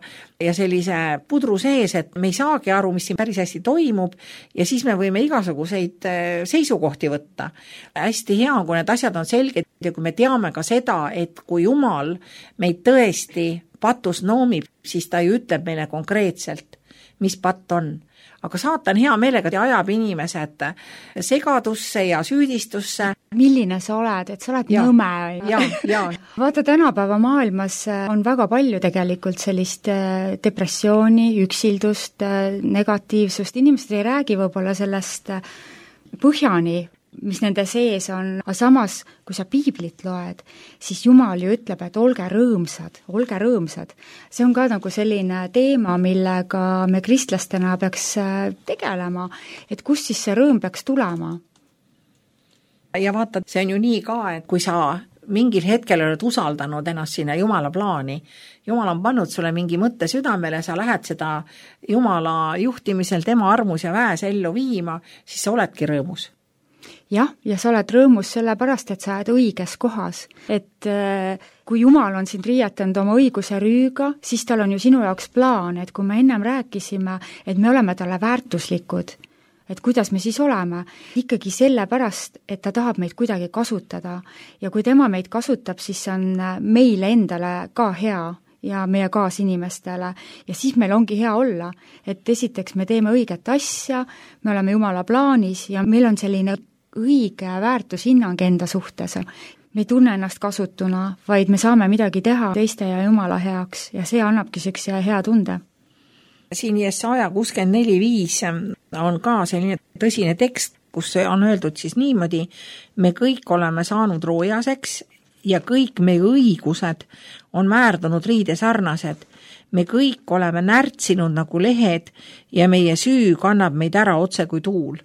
ja sellise pudru sees, et me ei saagi aru, mis siin päris hästi toimub ja siis me võime igasuguseid seisukohti võtta. Hästi hea on, kui need asjad on selged ja kui me teame ka seda, et kui Jumal meid tõesti patus noomib, siis ta ju ütleb meile konkreetselt, mis patt on. Aga saatan hea meelega ajab inimesed segadusse ja süüdistusse. Milline sa oled, et sa oled ja, nõme. Ja, ja. Vaata, tänapäeva maailmas on väga palju tegelikult sellist depressiooni, üksildust, negatiivsust. Inimesed ei räägi võib-olla sellest põhjani, mis nende sees on, aga samas, kui sa piiblit loed, siis Jumal ju ütleb, et olge rõõmsad, olge rõõmsad. See on ka nagu selline teema, millega me kristlastena peaks tegelema, et kust siis see rõõm peaks tulema. Ja vaata, see on ju nii ka, et kui sa mingil hetkel oled usaldanud ennast sinna Jumala plaani, Jumal on pannud sulle mingi mõtte südamele, sa lähed seda Jumala juhtimisel, tema armus ja väes ellu viima, siis sa oledki rõõmus. Jah, ja sa oled rõõmus sellepärast, et sa oled õiges kohas. Et kui Jumal on sind riietanud oma õiguse rüüga, siis tal on ju sinu jaoks plaan, et kui me ennem rääkisime, et me oleme talle väärtuslikud, et kuidas me siis oleme, ikkagi sellepärast, et ta tahab meid kuidagi kasutada. Ja kui tema meid kasutab, siis on meile endale ka hea ja meie kaasinimestele. Ja siis meil ongi hea olla, et esiteks me teeme õiget asja, me oleme Jumala plaanis ja meil on selline õige väärtushinnang enda suhtes. Me ei tunne ennast kasutuna, vaid me saame midagi teha teiste ja Jumala heaks ja see annabki sellise hea tunde. Siin Jesaja kuuskümmend neli viis on ka selline tõsine tekst, kus on öeldud siis niimoodi, me kõik oleme saanud roojaseks ja kõik meie õigused on määrdunud riide sarnased. Me kõik oleme närtsinud nagu lehed ja meie süü kannab meid ära otse kui tuul.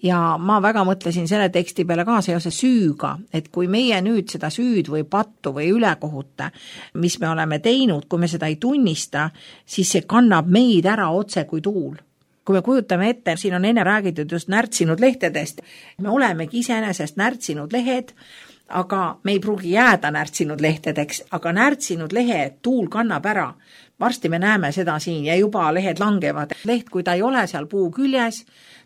Ja ma väga mõtlesin selle teksti peale ka seoses süüga, et kui meie nüüd seda süüd või pattu või ülekohute, mis me oleme teinud, kui me seda ei tunnista, siis see kannab meid ära otse kui tuul. Kui me kujutame ette, siin on enne räägitud just närtsinud lehtedest, me olemegi iseenesest närtsinud lehed, aga me ei pruugi jääda närtsinud lehtedeks, aga närtsinud lehe tuul kannab ära. Varsti me näeme seda siin ja juba lehed langevad. Leht, kui ta ei ole seal puu küljes,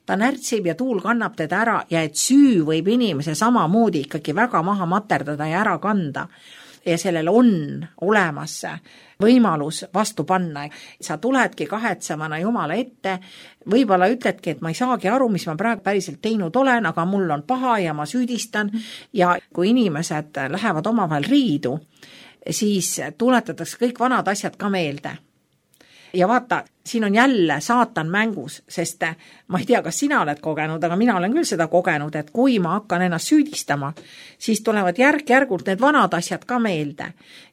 ta närtsib ja tuul kannab teda ära ja et süü võib inimese samamoodi ikkagi väga maha materdada ja ära kanda. Ja sellel on olemas võimalus vastu panna. Sa tuledki kahetsemana Jumala ette, võib-olla ütledki, et ma ei saagi aru, mis ma praegu päriselt teinud olen, aga mul on paha ja ma süüdistan. Ja kui inimesed lähevad omavahel riidu, siis tuletatakse kõik vanad asjad ka meelde. Ja vaata, siin on jälle saatan mängus, sest ma ei tea, kas sina oled kogenud, aga mina olen küll seda kogenud, et kui ma hakkan ennast süüdistama, siis tulevad järk-järgult need vanad asjad ka meelde.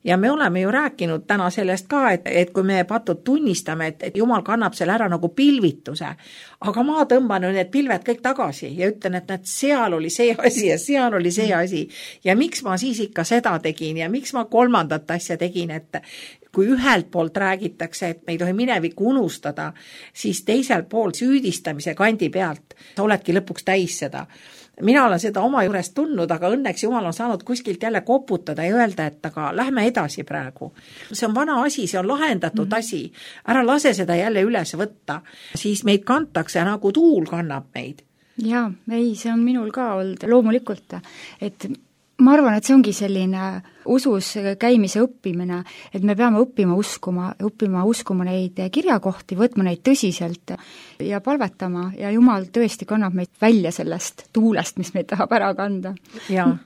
Ja me oleme ju rääkinud täna sellest ka, et, et kui me patud tunnistame, et, et Jumal kannab selle ära nagu pilvituse, aga ma tõmban need pilved kõik tagasi ja ütlen, et need seal oli see asi ja seal oli see asi ja miks ma siis ikka seda tegin ja miks ma kolmandat asja tegin, et kui ühelt poolt räägitakse, et me ei tohi minevikku unustada, siis teisel pool süüdistamise kandi pealt sa oledki lõpuks täis seda. Mina olen seda oma juurest tundnud, aga õnneks Jumal on saanud kuskilt jälle koputada ja öelda, et aga lähme edasi praegu. See on vana asi, see on lahendatud mm-hmm. asi. Ära lase seda jälle üles võtta. Siis meid kantakse nagu tuul kannab meid. jaa, ei, see on minul ka olnud loomulikult, et ma arvan, et see ongi selline usus käimise õppimine, et me peame õppima uskuma, õppima uskuma neid kirjakohti, võtma neid tõsiselt ja palvetama ja Jumal tõesti kannab meid välja sellest tuulest, mis meid tahab ära kanda.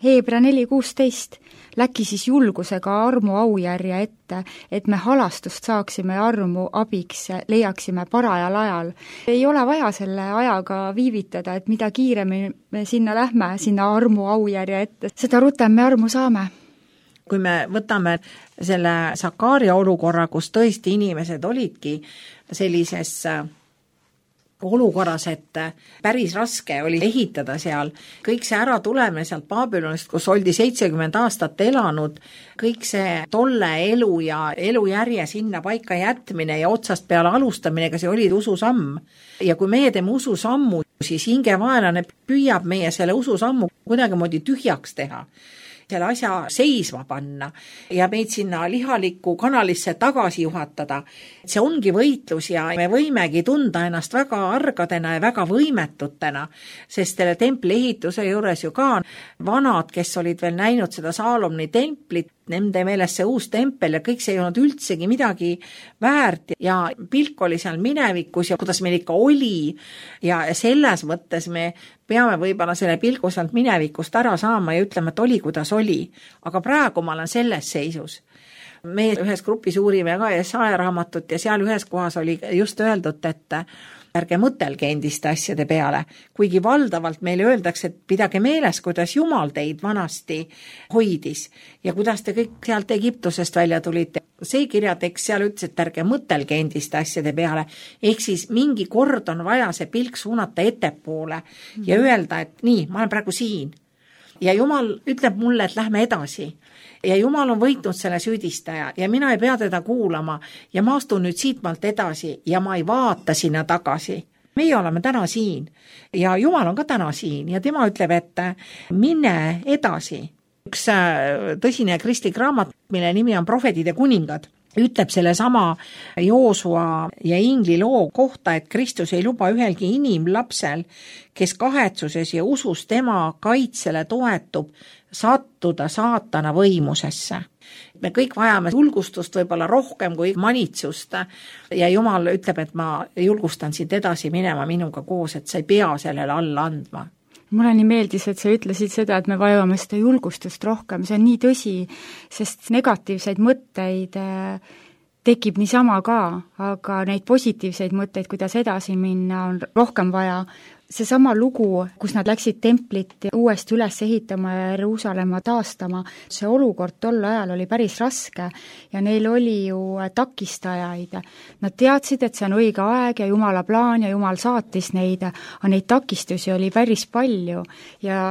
Heebra neli kuusteist läki siis julgusega armu aujärje ette, et me halastust saaksime ja armu abiks leiaksime parajal ajal. Ei ole vaja selle ajaga viivitada, et mida kiiremini me sinna lähme, sinna armu aujärje ette, seda rutem me armu saame. Kui me võtame selle Sakaaria olukorra, kus tõesti inimesed olidki sellises olukorras, et päris raske oli ehitada seal, kõik see ära tuleme sealt Babylonist, kus oldi seitsekümmend aastat elanud, kõik see tolle elu ja elujärje sinna paika jätmine ja otsast peale alustamine, ega see oli ususamm. Ja kui meie teeme ususammu, siis hingevaenlane püüab meie selle ususammu kuidagimoodi tühjaks teha, selle asja seisma panna ja meid sinna lihalikku kanalisse tagasi juhatada. See ongi võitlus ja me võimegi tunda ennast väga argadena ja väga võimetutena, sest selle templi ehituse juures ju ka vanad, kes olid veel näinud seda Saalomoni templit, nende meeles see uus tempel ja kõik see ei olnud üldsegi midagi väärt ja pilk oli seal minevikus ja kuidas meil ikka oli ja selles mõttes me peame võib-olla selle pilgu sealt minevikust ära saama ja ütlema, et oli, kuidas oli. Aga praegu ma olen selles seisus. Me ühes grupis uurime ka Jesaja raamatut ja seal ühes kohas oli just öeldud, et ärge mõtelge endiste asjade peale, kuigi valdavalt meile öeldakse, et pidage meeles, kuidas Jumal teid vanasti hoidis ja kuidas te kõik sealt Egiptusest välja tulite. See kirjatekst seal ütles, et ärge mõtelge endiste asjade peale, ehk siis mingi kord on vaja see pilk suunata ettepoole ja öelda, et nii, ma olen praegu siin. Ja Jumal ütleb mulle, et lähme edasi. Ja Jumal on võitnud selle süüdistaja ja mina ei pea teda kuulama ja ma astun nüüd siitmalt edasi ja ma ei vaata sinna tagasi. Meie oleme täna siin ja Jumal on ka täna siin ja tema ütleb, et mine edasi. Üks tõsine kristlik raamat, mille nimi on Prohvetid ja kuningad, ütleb selle sama Joosua ja Ingli loo kohta, et Kristus ei luba ühelgi inimlapsel, kes kahetsuses ja usus tema kaitsele toetub, sattuda saatana võimusesse. Me kõik vajame julgustust võib-olla rohkem kui manitsust ja Jumal ütleb, et ma julgustan sind edasi minema minuga koos, et sa ei pea sellele alla andma. Mulle nii meeldis, et sa ütlesid seda, et me vajame seda julgustust rohkem, see on nii tõsi, sest negatiivseid mõtteid tekib niisama ka, aga neid positiivseid mõtteid, kuidas edasi minna, on rohkem vaja. Seesama lugu, kus nad läksid templit uuesti üles ehitama ja Jeruusalemma taastama, see olukord tol ajal oli päris raske ja neil oli ju takistajaid. Nad teadsid, et see on õige aeg ja Jumala plaan ja Jumal saatis neid, aga neid takistusi oli päris palju ja,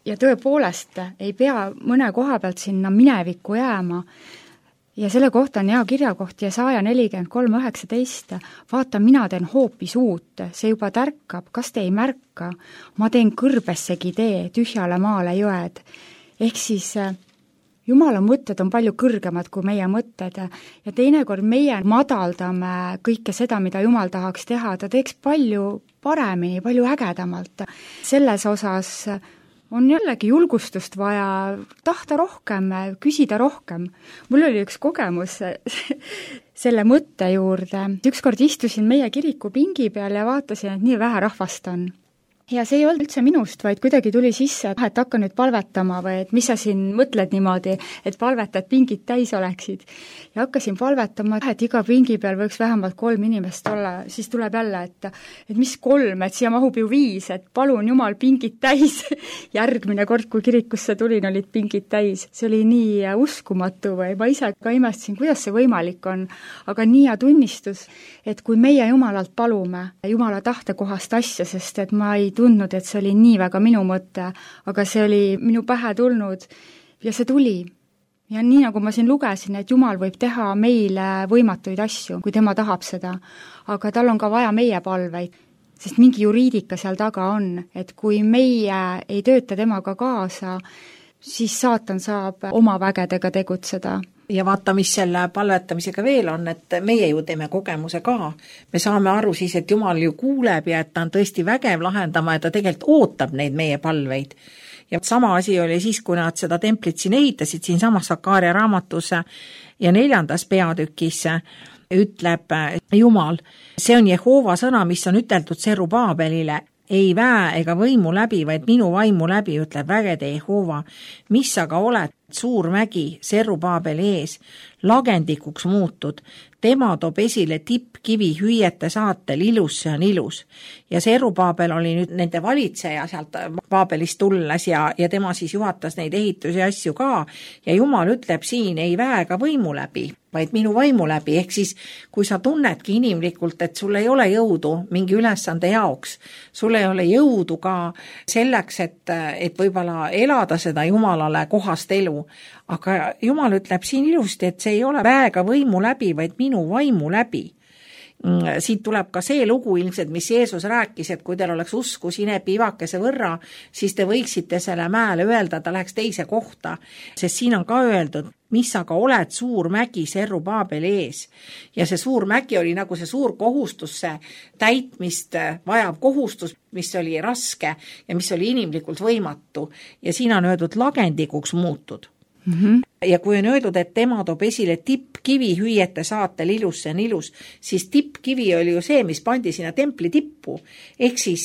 ja tõepoolest ei pea mõne koha pealt sinna minevikku jääma. Ja selle kohta on hea kirjakoht Jesaja nelikümmend kolm üheksateist. Vaata, mina teen hoopis uut, see juba tärkab, kas te ei märka? Ma teen kõrbessegi tee, tühjale maale jõed. Ehk siis Jumala mõtted on palju kõrgemad kui meie mõtted ja teinekord meie madaldame kõike seda, mida Jumal tahaks teha, ta teeks palju paremini, palju ägedamalt. Selles osas on jällegi julgustust vaja tahta rohkem, küsida rohkem. Mul oli üks kogemus selle mõtte juurde. Ükskord istusin meie kiriku pingi peal ja vaatasin, et nii vähe rahvast on. Ja see ei olnud üldse minust, vaid kuidagi tuli sisse, et hakka nüüd palvetama või et mis sa siin mõtled niimoodi, et palvetad pingid täis oleksid. Ja hakkasin palvetama, et iga pingi peal võiks vähemalt kolm inimest olla, siis tuleb jälle, et, et mis kolm, et siia mahub ju viis, et palun Jumal pingid täis. Järgmine kord, kui kirikusse tulin, olid pingid täis. See oli nii uskumatu või ma ise ka imestasin, kuidas see võimalik on, aga nii ja tunnistus, et kui meie Jumalalt palume Jumala tahtekohast asja, sest et ma ei tundnud, et see oli nii väga minu mõte, aga see oli minu pähe tulnud ja see tuli. Ja nii nagu ma siin lugesin, et Jumal võib teha meile võimatuid asju, kui tema tahab seda, aga tal on ka vaja meie palveid, sest mingi juriidika seal taga on, et kui meie ei tööta temaga kaasa, siis saatan saab oma vägedega tegutseda. ja vaata, mis selle palvetamisega veel on, et meie ju teeme kogemuse ka. Me saame aru siis, et Jumal ju kuuleb ja et ta on tõesti vägev lahendama ja ta tegelikult ootab neid meie palveid. Ja sama asi oli siis, kui nad seda templit siin ehitasid, siin samas Sakaaria raamatus ja neljandas peatükis ütleb Jumal, see on Jehova sõna, mis on üteldud Serubaabelile, ei väe ega võimu läbi, vaid minu vaimu läbi, ütleb vägede Jehova, mis aga oled suur mägi Serubaabeli ees, lagendikuks muutud, tema toob esile tippkivi hüüete saatel, ilus see on ilus. Ja Serubaabel oli nüüd nende valitseja sealt Baabelist tulles ja, ja tema siis juhatas neid ehitusi asju ka ja Jumal ütleb siin ei väe ega võimu läbi, vaid minu vaimu läbi, ehk siis kui sa tunnedki inimlikult, et sul ei ole jõudu mingi ülesande jaoks, sul ei ole jõudu ka selleks, et, et võib-olla elada seda Jumalale kohast elu, aga Jumal ütleb siin ilusti, et see ei ole väega võimu läbi, vaid minu vaimu läbi. Siit tuleb ka see lugu ilmselt, mis Jeesus rääkis, et kui teil oleks usku sinepi ivakese võrra, siis te võiksite selle mäele öelda, ta läheks teise kohta, sest siin on ka öeldud, mis aga oled suur mägi Serubaabeli ees. Ja see suur mägi oli nagu see suur kohustus, see täitmist vajav kohustus, mis oli raske ja mis oli inimlikult võimatu. Ja siin on öeldud lagendikuks muutud. Mm-hmm. Ja kui on öeldud, et tema toob esile tippkivi hüüete saatel, ilus see on ilus, siis tippkivi oli ju see, mis pandi sinna templi tippu. Ehk siis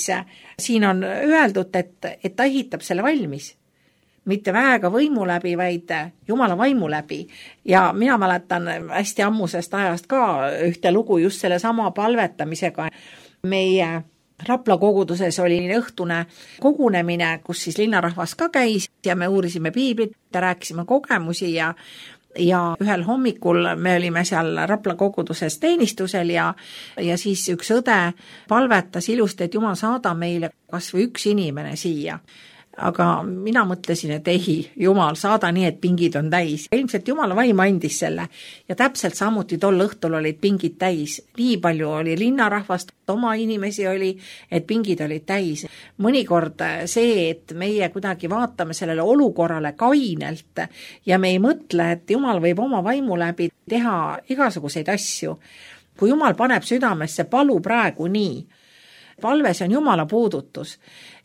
siin on öeldud, et, et ta ehitab selle valmis. Mitte väega võimu läbi, vaid Jumala vaimu läbi. Ja mina mäletan hästi ammusest ajast ka ühte lugu just selle sama palvetamisega. Meie Rapla koguduses oli õhtune kogunemine, kus siis linnarahvas ka käis ja me uurisime piiblit ja rääkisime kogemusi ja, ja ühel hommikul me olime seal Rapla koguduses teenistusel ja, ja siis üks õde palvetas ilusti, et Jumal saada meile kas või üks inimene siia. Aga mina mõtlesin, et ei, Jumal, saada nii, et pingid on täis. Ilmselt Jumala vaim andis selle ja täpselt samuti tol õhtul olid pingid täis. Nii palju oli linnarahvast, oma inimesi oli, et pingid olid täis. Mõnikord see, et meie kuidagi vaatame sellele olukorrale kainelt ja me ei mõtle, et Jumal võib oma vaimu läbi teha igasuguseid asju. Kui Jumal paneb südamesse, palu praegu nii. Palves on Jumala puudutus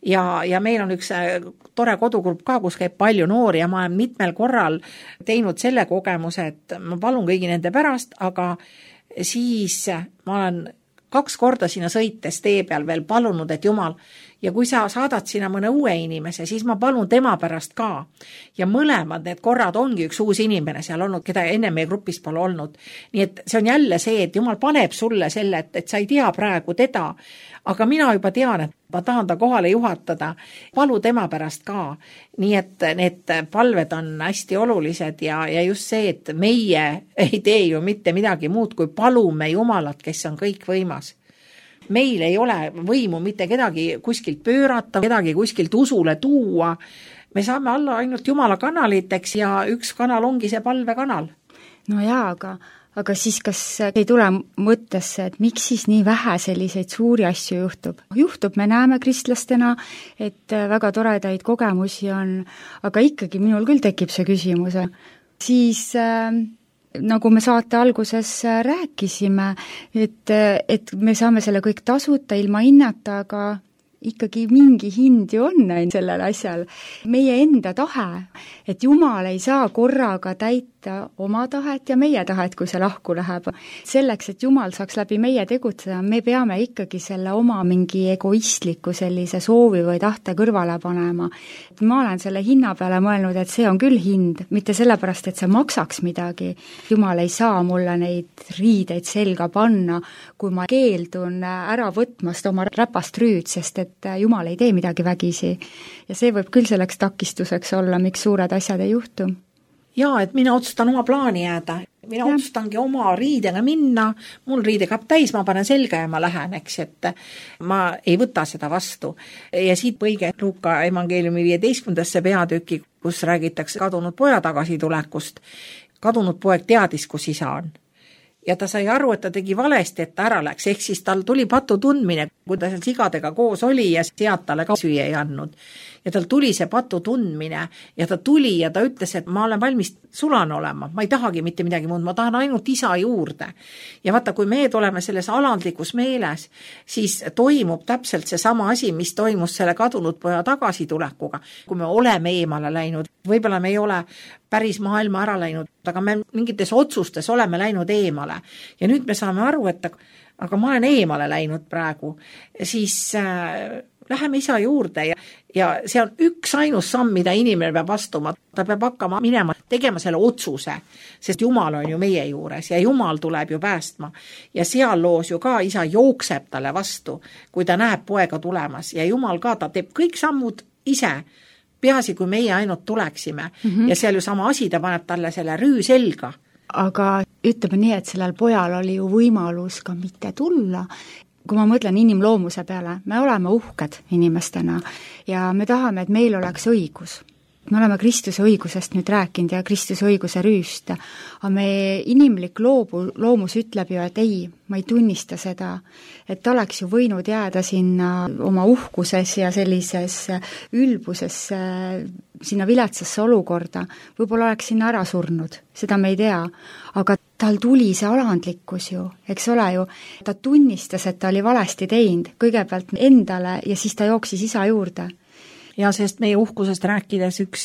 ja, ja meil on üks tore kodugrupp ka, kus käib palju noori ja ma olen mitmel korral teinud selle kogemuse, et ma palun kõigi nende pärast, aga siis ma olen kaks korda sinna sõites tee peal veel palunud, et Jumal, ja kui sa saadad sinna mõne uue inimese, siis ma palun tema pärast ka. Ja mõlemad need korrad ongi üks uus inimene seal olnud, keda enne meie grupis pole olnud. Nii et see on jälle see, et Jumal paneb sulle selle, et, et sa ei tea praegu teda, aga mina juba tean, et ma tahan ta kohale juhatada. Palu tema pärast ka. Nii et need palved on hästi olulised ja, ja just see, et meie ei tee ju mitte midagi muud, kui palume Jumalat, kes on kõik võimas. Meil ei ole võimu mitte kedagi kuskilt pöörata, kedagi kuskilt usule tuua. Me saame olla ainult Jumala kanaliteks ja üks kanal ongi see palvekanal. No jaa, aga, aga siis kas ei tule mõttesse, et miks siis nii vähe selliseid suuri asju juhtub? Juhtub, me näeme kristlastena, et väga toredaid kogemusi on, aga ikkagi minul küll tekib see küsimus. Siis äh, nagu me saate alguses rääkisime, et, et me saame selle kõik tasuta ilma hinnata, aga ikkagi mingi hind ju on sellel asjal. Meie enda tahe, et Jumal ei saa korraga täita oma tahet ja meie tahet, kui see lahku läheb. Selleks, et Jumal saaks läbi meie tegutseda, me peame ikkagi selle oma mingi egoistliku sellise soovi või tahte kõrvale panema. Ma olen selle hinna peale mõelnud, et see on küll hind, mitte sellepärast, et see maksaks midagi. Jumal ei saa mulle neid riideid selga panna, kui ma keeldun ära võtmast oma räpast rüüd, sest et Jumal ei tee midagi vägisi. Ja see võib küll selleks takistuseks olla, miks suured asjad ei juhtu. Jaa, et mina otsustan oma plaani jääda. Mina ja. otsustangi oma riidega minna, mul riidekapp täis, ma panen selga ja ma lähen, eks, et ma ei võta seda vastu. Ja siit põige Luuka evangeeliumi viieteistkümnendasse peatüki, kus räägitakse kadunud poja tagasitulekust. Kadunud poeg teadis, kus isa on. Ja ta sai aru, et ta tegi valesti, et ta ära läks, ehk siis tal tuli patu tundmine, kui ta seal sigadega koos oli ja sealt talle ka süüa ei andnud. Ja tal tuli see patu tundmine ja ta tuli ja ta ütles, et ma olen valmis sulan olema, ma ei tahagi mitte midagi muud, ma tahan ainult isa juurde. Ja vaata, kui me oleme selles alandlikus meeles, siis toimub täpselt see sama asi, mis toimus selle kadunud poja tagasitulekuga. Kui me oleme eemale läinud, võib-olla me ei ole päris maailma ära läinud, aga me mingites otsustes oleme läinud eemale. Ja nüüd me saame aru, et aga ma olen eemale läinud praegu, siis äh, läheme isa juurde ja, ja see on üks ainus samm, mida inimene peab astuma. Ta peab hakkama minema, tegema selle otsuse, sest Jumal on ju meie juures ja Jumal tuleb ju päästma. Ja seal loos ju ka isa jookseb talle vastu, kui ta näeb poega tulemas ja Jumal ka, ta teeb kõik sammud ise, peaasi kui meie ainult tuleksime mm -hmm. ja seal ju sama asi, ta paneb talle selle rüü selga. Aga ütleme nii, et sellel pojal oli ju võimalus ka mitte tulla. Kui ma mõtlen inimloomuse peale, me oleme uhked inimestena ja me tahame, et meil oleks õigus. Me oleme Kristuse õigusest nüüd rääkinud ja Kristuse õiguse rüüst, aga meie inimlik loobu, loomus ütleb ju, et ei, ma ei tunnista seda, et ta oleks ju võinud jääda sinna oma uhkuses ja sellises ülbuses sinna viletsasse olukorda, võib-olla oleks sinna ära surnud, seda me ei tea, aga tal tuli see alandlikkus ju, eks ole ju, ta tunnistas, et ta oli valesti teinud, kõigepealt endale ja siis ta jooksis isa juurde. Ja sest meie uhkusest rääkides üks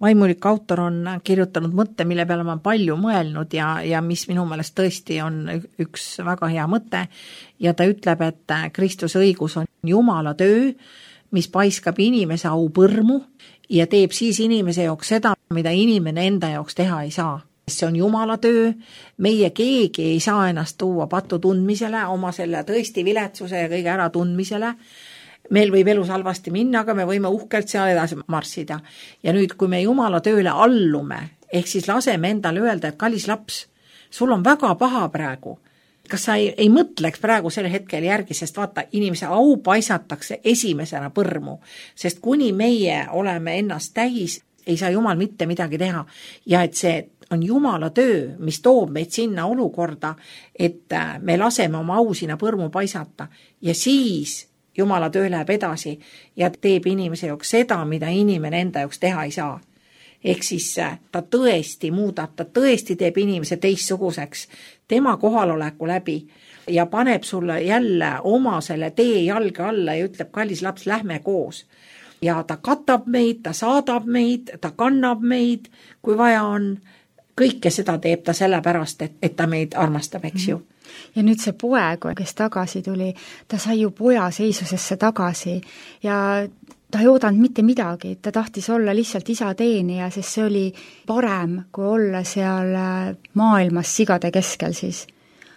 vaimulik autor on kirjutanud mõtte, mille peale ma palju mõelnud ja, ja mis minu meelest tõesti on üks väga hea mõte ja ta ütleb, et Kristuse õigus on Jumala töö, mis paiskab inimese au põrmu ja teeb siis inimese jaoks seda, mida inimene enda jaoks teha ei saa. See on Jumala töö, meie keegi ei saa ennast tuua patu tundmisele, oma selle tõesti viletsuse ja kõige ära tundmisele. Meil võib elus halvasti minna, aga me võime uhkelt seal edasi marssida. Ja nüüd, kui me Jumala tööle allume, ehk siis laseme endale öelda, et kallis laps, sul on väga paha praegu. Kas sa ei, ei mõtleks praegu selle hetkel järgi, sest vaata, inimese au paisatakse esimesena põrmu, sest kuni meie oleme ennast täis, ei saa Jumal mitte midagi teha. Ja et see on Jumala töö, mis toob meid sinna olukorda, et me laseme oma au sinna põrmu paisata ja siis Jumala töö läheb edasi ja teeb inimese jaoks seda, mida inimene enda jaoks teha ei saa. Ehk siis ta tõesti muudab, ta tõesti teeb inimese teistsuguseks tema kohaloleku läbi ja paneb sulle jälle oma selle tee jalge alla ja ütleb, kallis laps, lähme koos. Ja ta katab meid, ta saadab meid, ta kannab meid, kui vaja on. Kõike seda teeb ta sellepärast, et, et ta meid armastab, eks ju. Ja nüüd see poeg, kes tagasi tuli, ta sai ju poja seisusesse tagasi ja ta ei oodanud mitte midagi, ta tahtis olla lihtsalt isa teenija, sest see oli parem, kui olla seal maailmas sigade keskel siis.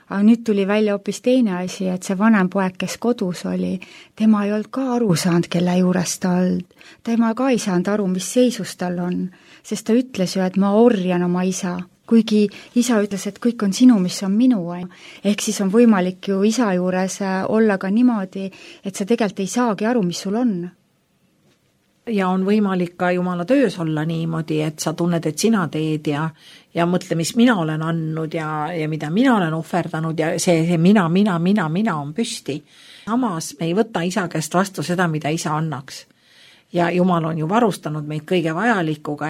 Aga nüüd tuli välja hoopis teine asi, et see vanem poeg, kes kodus oli, tema ei olnud ka aru saanud, kelle juures ta olnud. Tema ka ei saanud aru, mis seisus tal on, sest ta ütles ju, et ma orjan oma isa. Kuigi isa ütles, et kõik on sinu, mis on minu. Ehk siis on võimalik ju isa juures olla ka niimoodi, et sa tegelikult ei saagi aru, mis sul on. Ja on võimalik ka Jumala töös olla niimoodi, et sa tunned, et sina teed ja, ja mõtle, mis mina olen andnud ja, ja mida mina olen ohverdanud ja see, see mina, mina, mina, mina on püsti. Samas me ei võta isa käest vastu seda, mida isa annaks. Ja Jumal on ju varustanud meid kõige vajalikuga.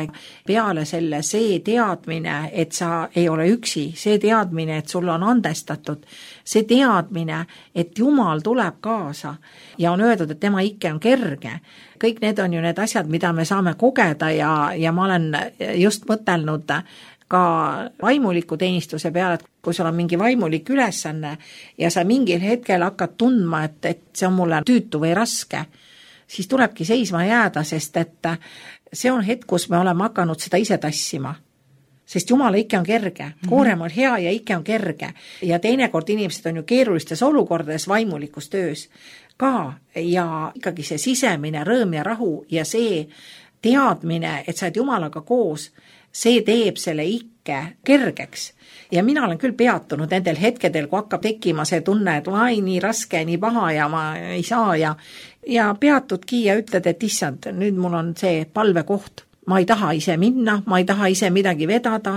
Peale selle see teadmine, et sa ei ole üksi, see teadmine, et sul on andestatud, see teadmine, et Jumal tuleb kaasa ja on öeldud, et tema ikke on kerge. Kõik need on ju need asjad, mida me saame kogeda ja, ja ma olen just mõtelnud ka vaimuliku teenistuse peale, et kui sul on mingi vaimulik ülesanne ja sa mingil hetkel hakkad tundma, et, et see on mulle tüütu või raske, siis tulebki seisma jääda, sest et see on hetk, kus me oleme hakanud seda ise tassima. Sest Jumala ikke on kerge, koorem on hea ja ikke on kerge. Ja teinekord inimesed on ju keerulistes olukordades vaimulikus töös ka ja ikkagi see sisemine rõõm ja rahu ja see teadmine, et sa oled Jumalaga koos, see teeb selle ikke kergeks. Ja mina olen küll peatunud nendel hetkedel, kui hakkab tekkima see tunne, et ai, nii raske, nii paha ja ma ei saa ja, ja peatudki ja ütled, et issand, nüüd mul on see palvekoht. Ma ei taha ise minna, ma ei taha ise midagi vedada,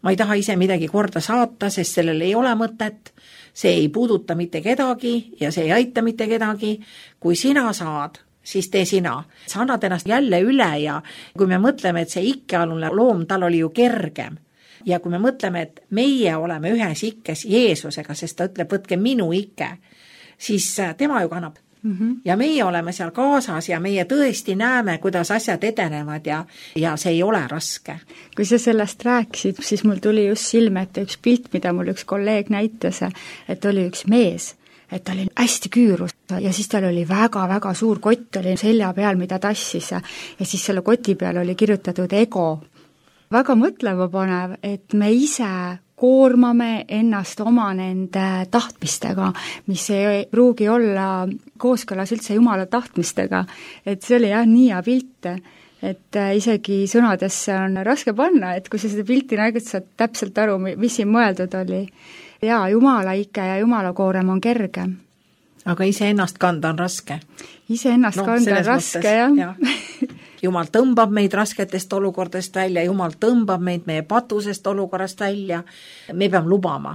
ma ei taha ise midagi korda saata, sest sellel ei ole mõtet. See ei puuduta mitte kedagi ja see ei aita mitte kedagi. Kui sina saad siis tee sina. Sa annad ennast jälle üle ja kui me mõtleme, et see ikkealune loom, tal oli ju kergem. Ja kui me mõtleme, et meie oleme ühes ikkes Jeesusega, sest ta ütleb, võtke minu ikke, siis tema ju kannab. Mm-hmm. Ja meie oleme seal kaasas ja meie tõesti näeme, kuidas asjad edenevad ja, ja see ei ole raske. Kui sa sellest rääkisid, siis mul tuli just silme ette üks pilt, mida mul üks kolleeg näitas, et oli üks mees, et ta oli hästi küürus ja siis tal oli väga-väga suur kott oli selja peal, mida tassis ja siis selle koti peal oli kirjutatud ego. Väga mõtlema panev, et me ise koormame ennast oma nende tahtmistega, mis ei pruugi olla kooskõlas üldse Jumala tahtmistega. Et see oli jah nii hea pilt, et isegi sõnadesse on raske panna, et kui sa seda pilti nägid, saad täpselt aru, mis siin mõeldud oli. Ja Jumala ikke ja Jumala koorem on kerge. Aga ise ennast kanda on raske. Ise ennast no, kanda on raske, mõttes, jah. jah. Jumal tõmbab meid rasketest olukordest välja, Jumal tõmbab meid meie patusest olukorrast välja. Me peame lubama,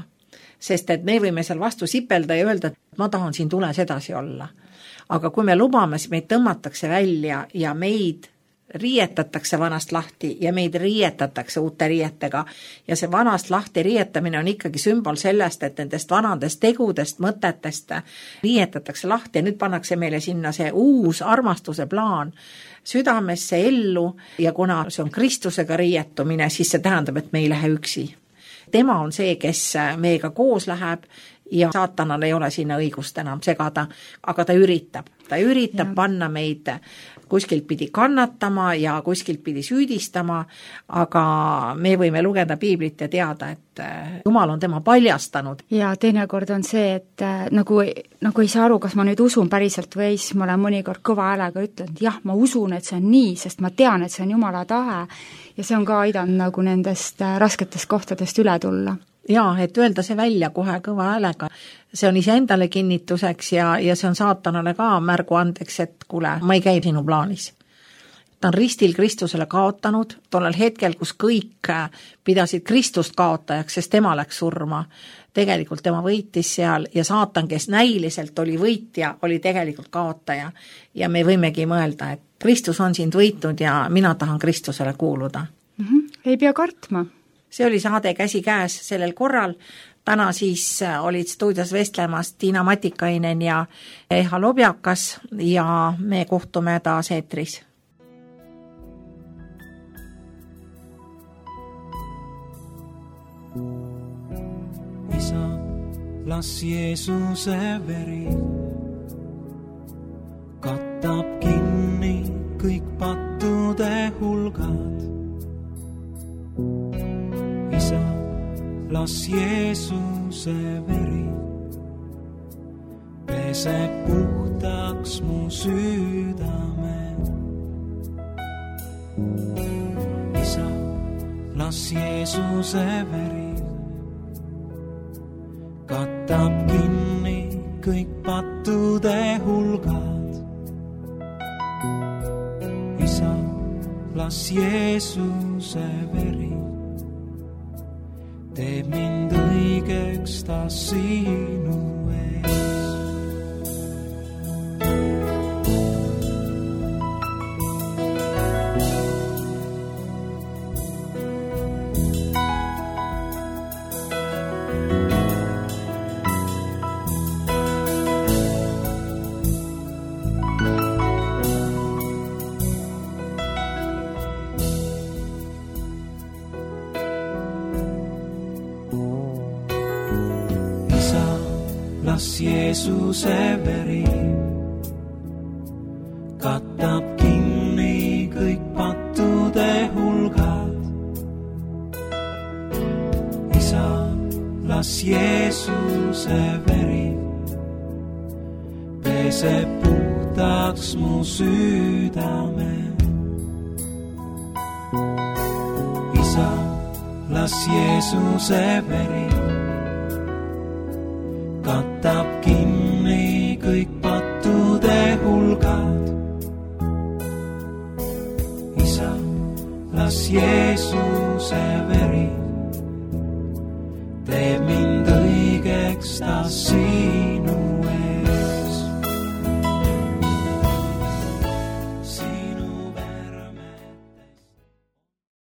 sest et me võime seal vastu sipelda ja öelda, et ma tahan siin tules edasi olla. Aga kui me lubame, siis meid tõmmatakse välja ja meid riietatakse vanast lahti ja meid riietatakse uute riietega. Ja see vanast lahti riietamine on ikkagi sümbol sellest, et nendest vanadest tegudest, mõtetest riietatakse lahti ja nüüd pannakse meile sinna see uus armastuse plaan südamesse ellu ja kuna see on Kristusega riietumine, siis see tähendab, et me ei lähe üksi. Tema on see, kes meiega koos läheb ja saatanal ei ole sinna õigust enam segada, aga ta üritab. Ta üritab ja. Panna meid kuskilt pidi kannatama ja kuskilt pidi süüdistama, aga me võime lugeda piiblit ja teada, et Jumal on tema paljastanud. Ja teinekord on see, et nagu, nagu ei saa aru, kas ma nüüd usun päriselt või siis ma olen mõnikord kõva häälega ütlenud, jah, ma usun, et see on nii, sest ma tean, et see on Jumala tahe ja see on ka aidanud nagu nendest rasketest kohtadest üle tulla. Jaa, et öelda see välja kohe kõva häälega. See on iseendale kinnituseks ja, ja see on saatanale ka märgu andeks, et kuule, ma ei käi sinu plaanis. Ta on ristil Kristusele kaotanud, tollel hetkel, kus kõik pidasid Kristust kaotajaks, sest tema läks surma. Tegelikult tema võitis seal ja saatan, kes näiliselt oli võitja, oli tegelikult kaotaja. Ja me võimegi mõelda, et Kristus on sind võitnud ja mina tahan Kristusele kuuluda. Mm-hmm. Ei pea kartma. See oli saade Käsi käes sellel korral. Täna siis olid stuudios vestlemas Tiina Matikainen ja Eha Lobjakas ja me kohtume taas eetris. Isa, las Jeesuse veri kattab kinni kõik pattude hulgad. Isa, las Jeesuse veri peseb puhtaks mu südame. Isa, las Jeesuse veri katab kinni kõik pattude hulgad. Isa, las Jeesuse veri teeb mind õigeks ta sinu ees. Jeesuse veri katab kinni kõik pattude hulgad. Isa, las Jeesuse veri peseb puhtaks mu südame. Isa, las Jeesuse veri katab kinni kõik pattude hulgad. Isa, las Jeesuse veri teeb mind õigeks ta siin.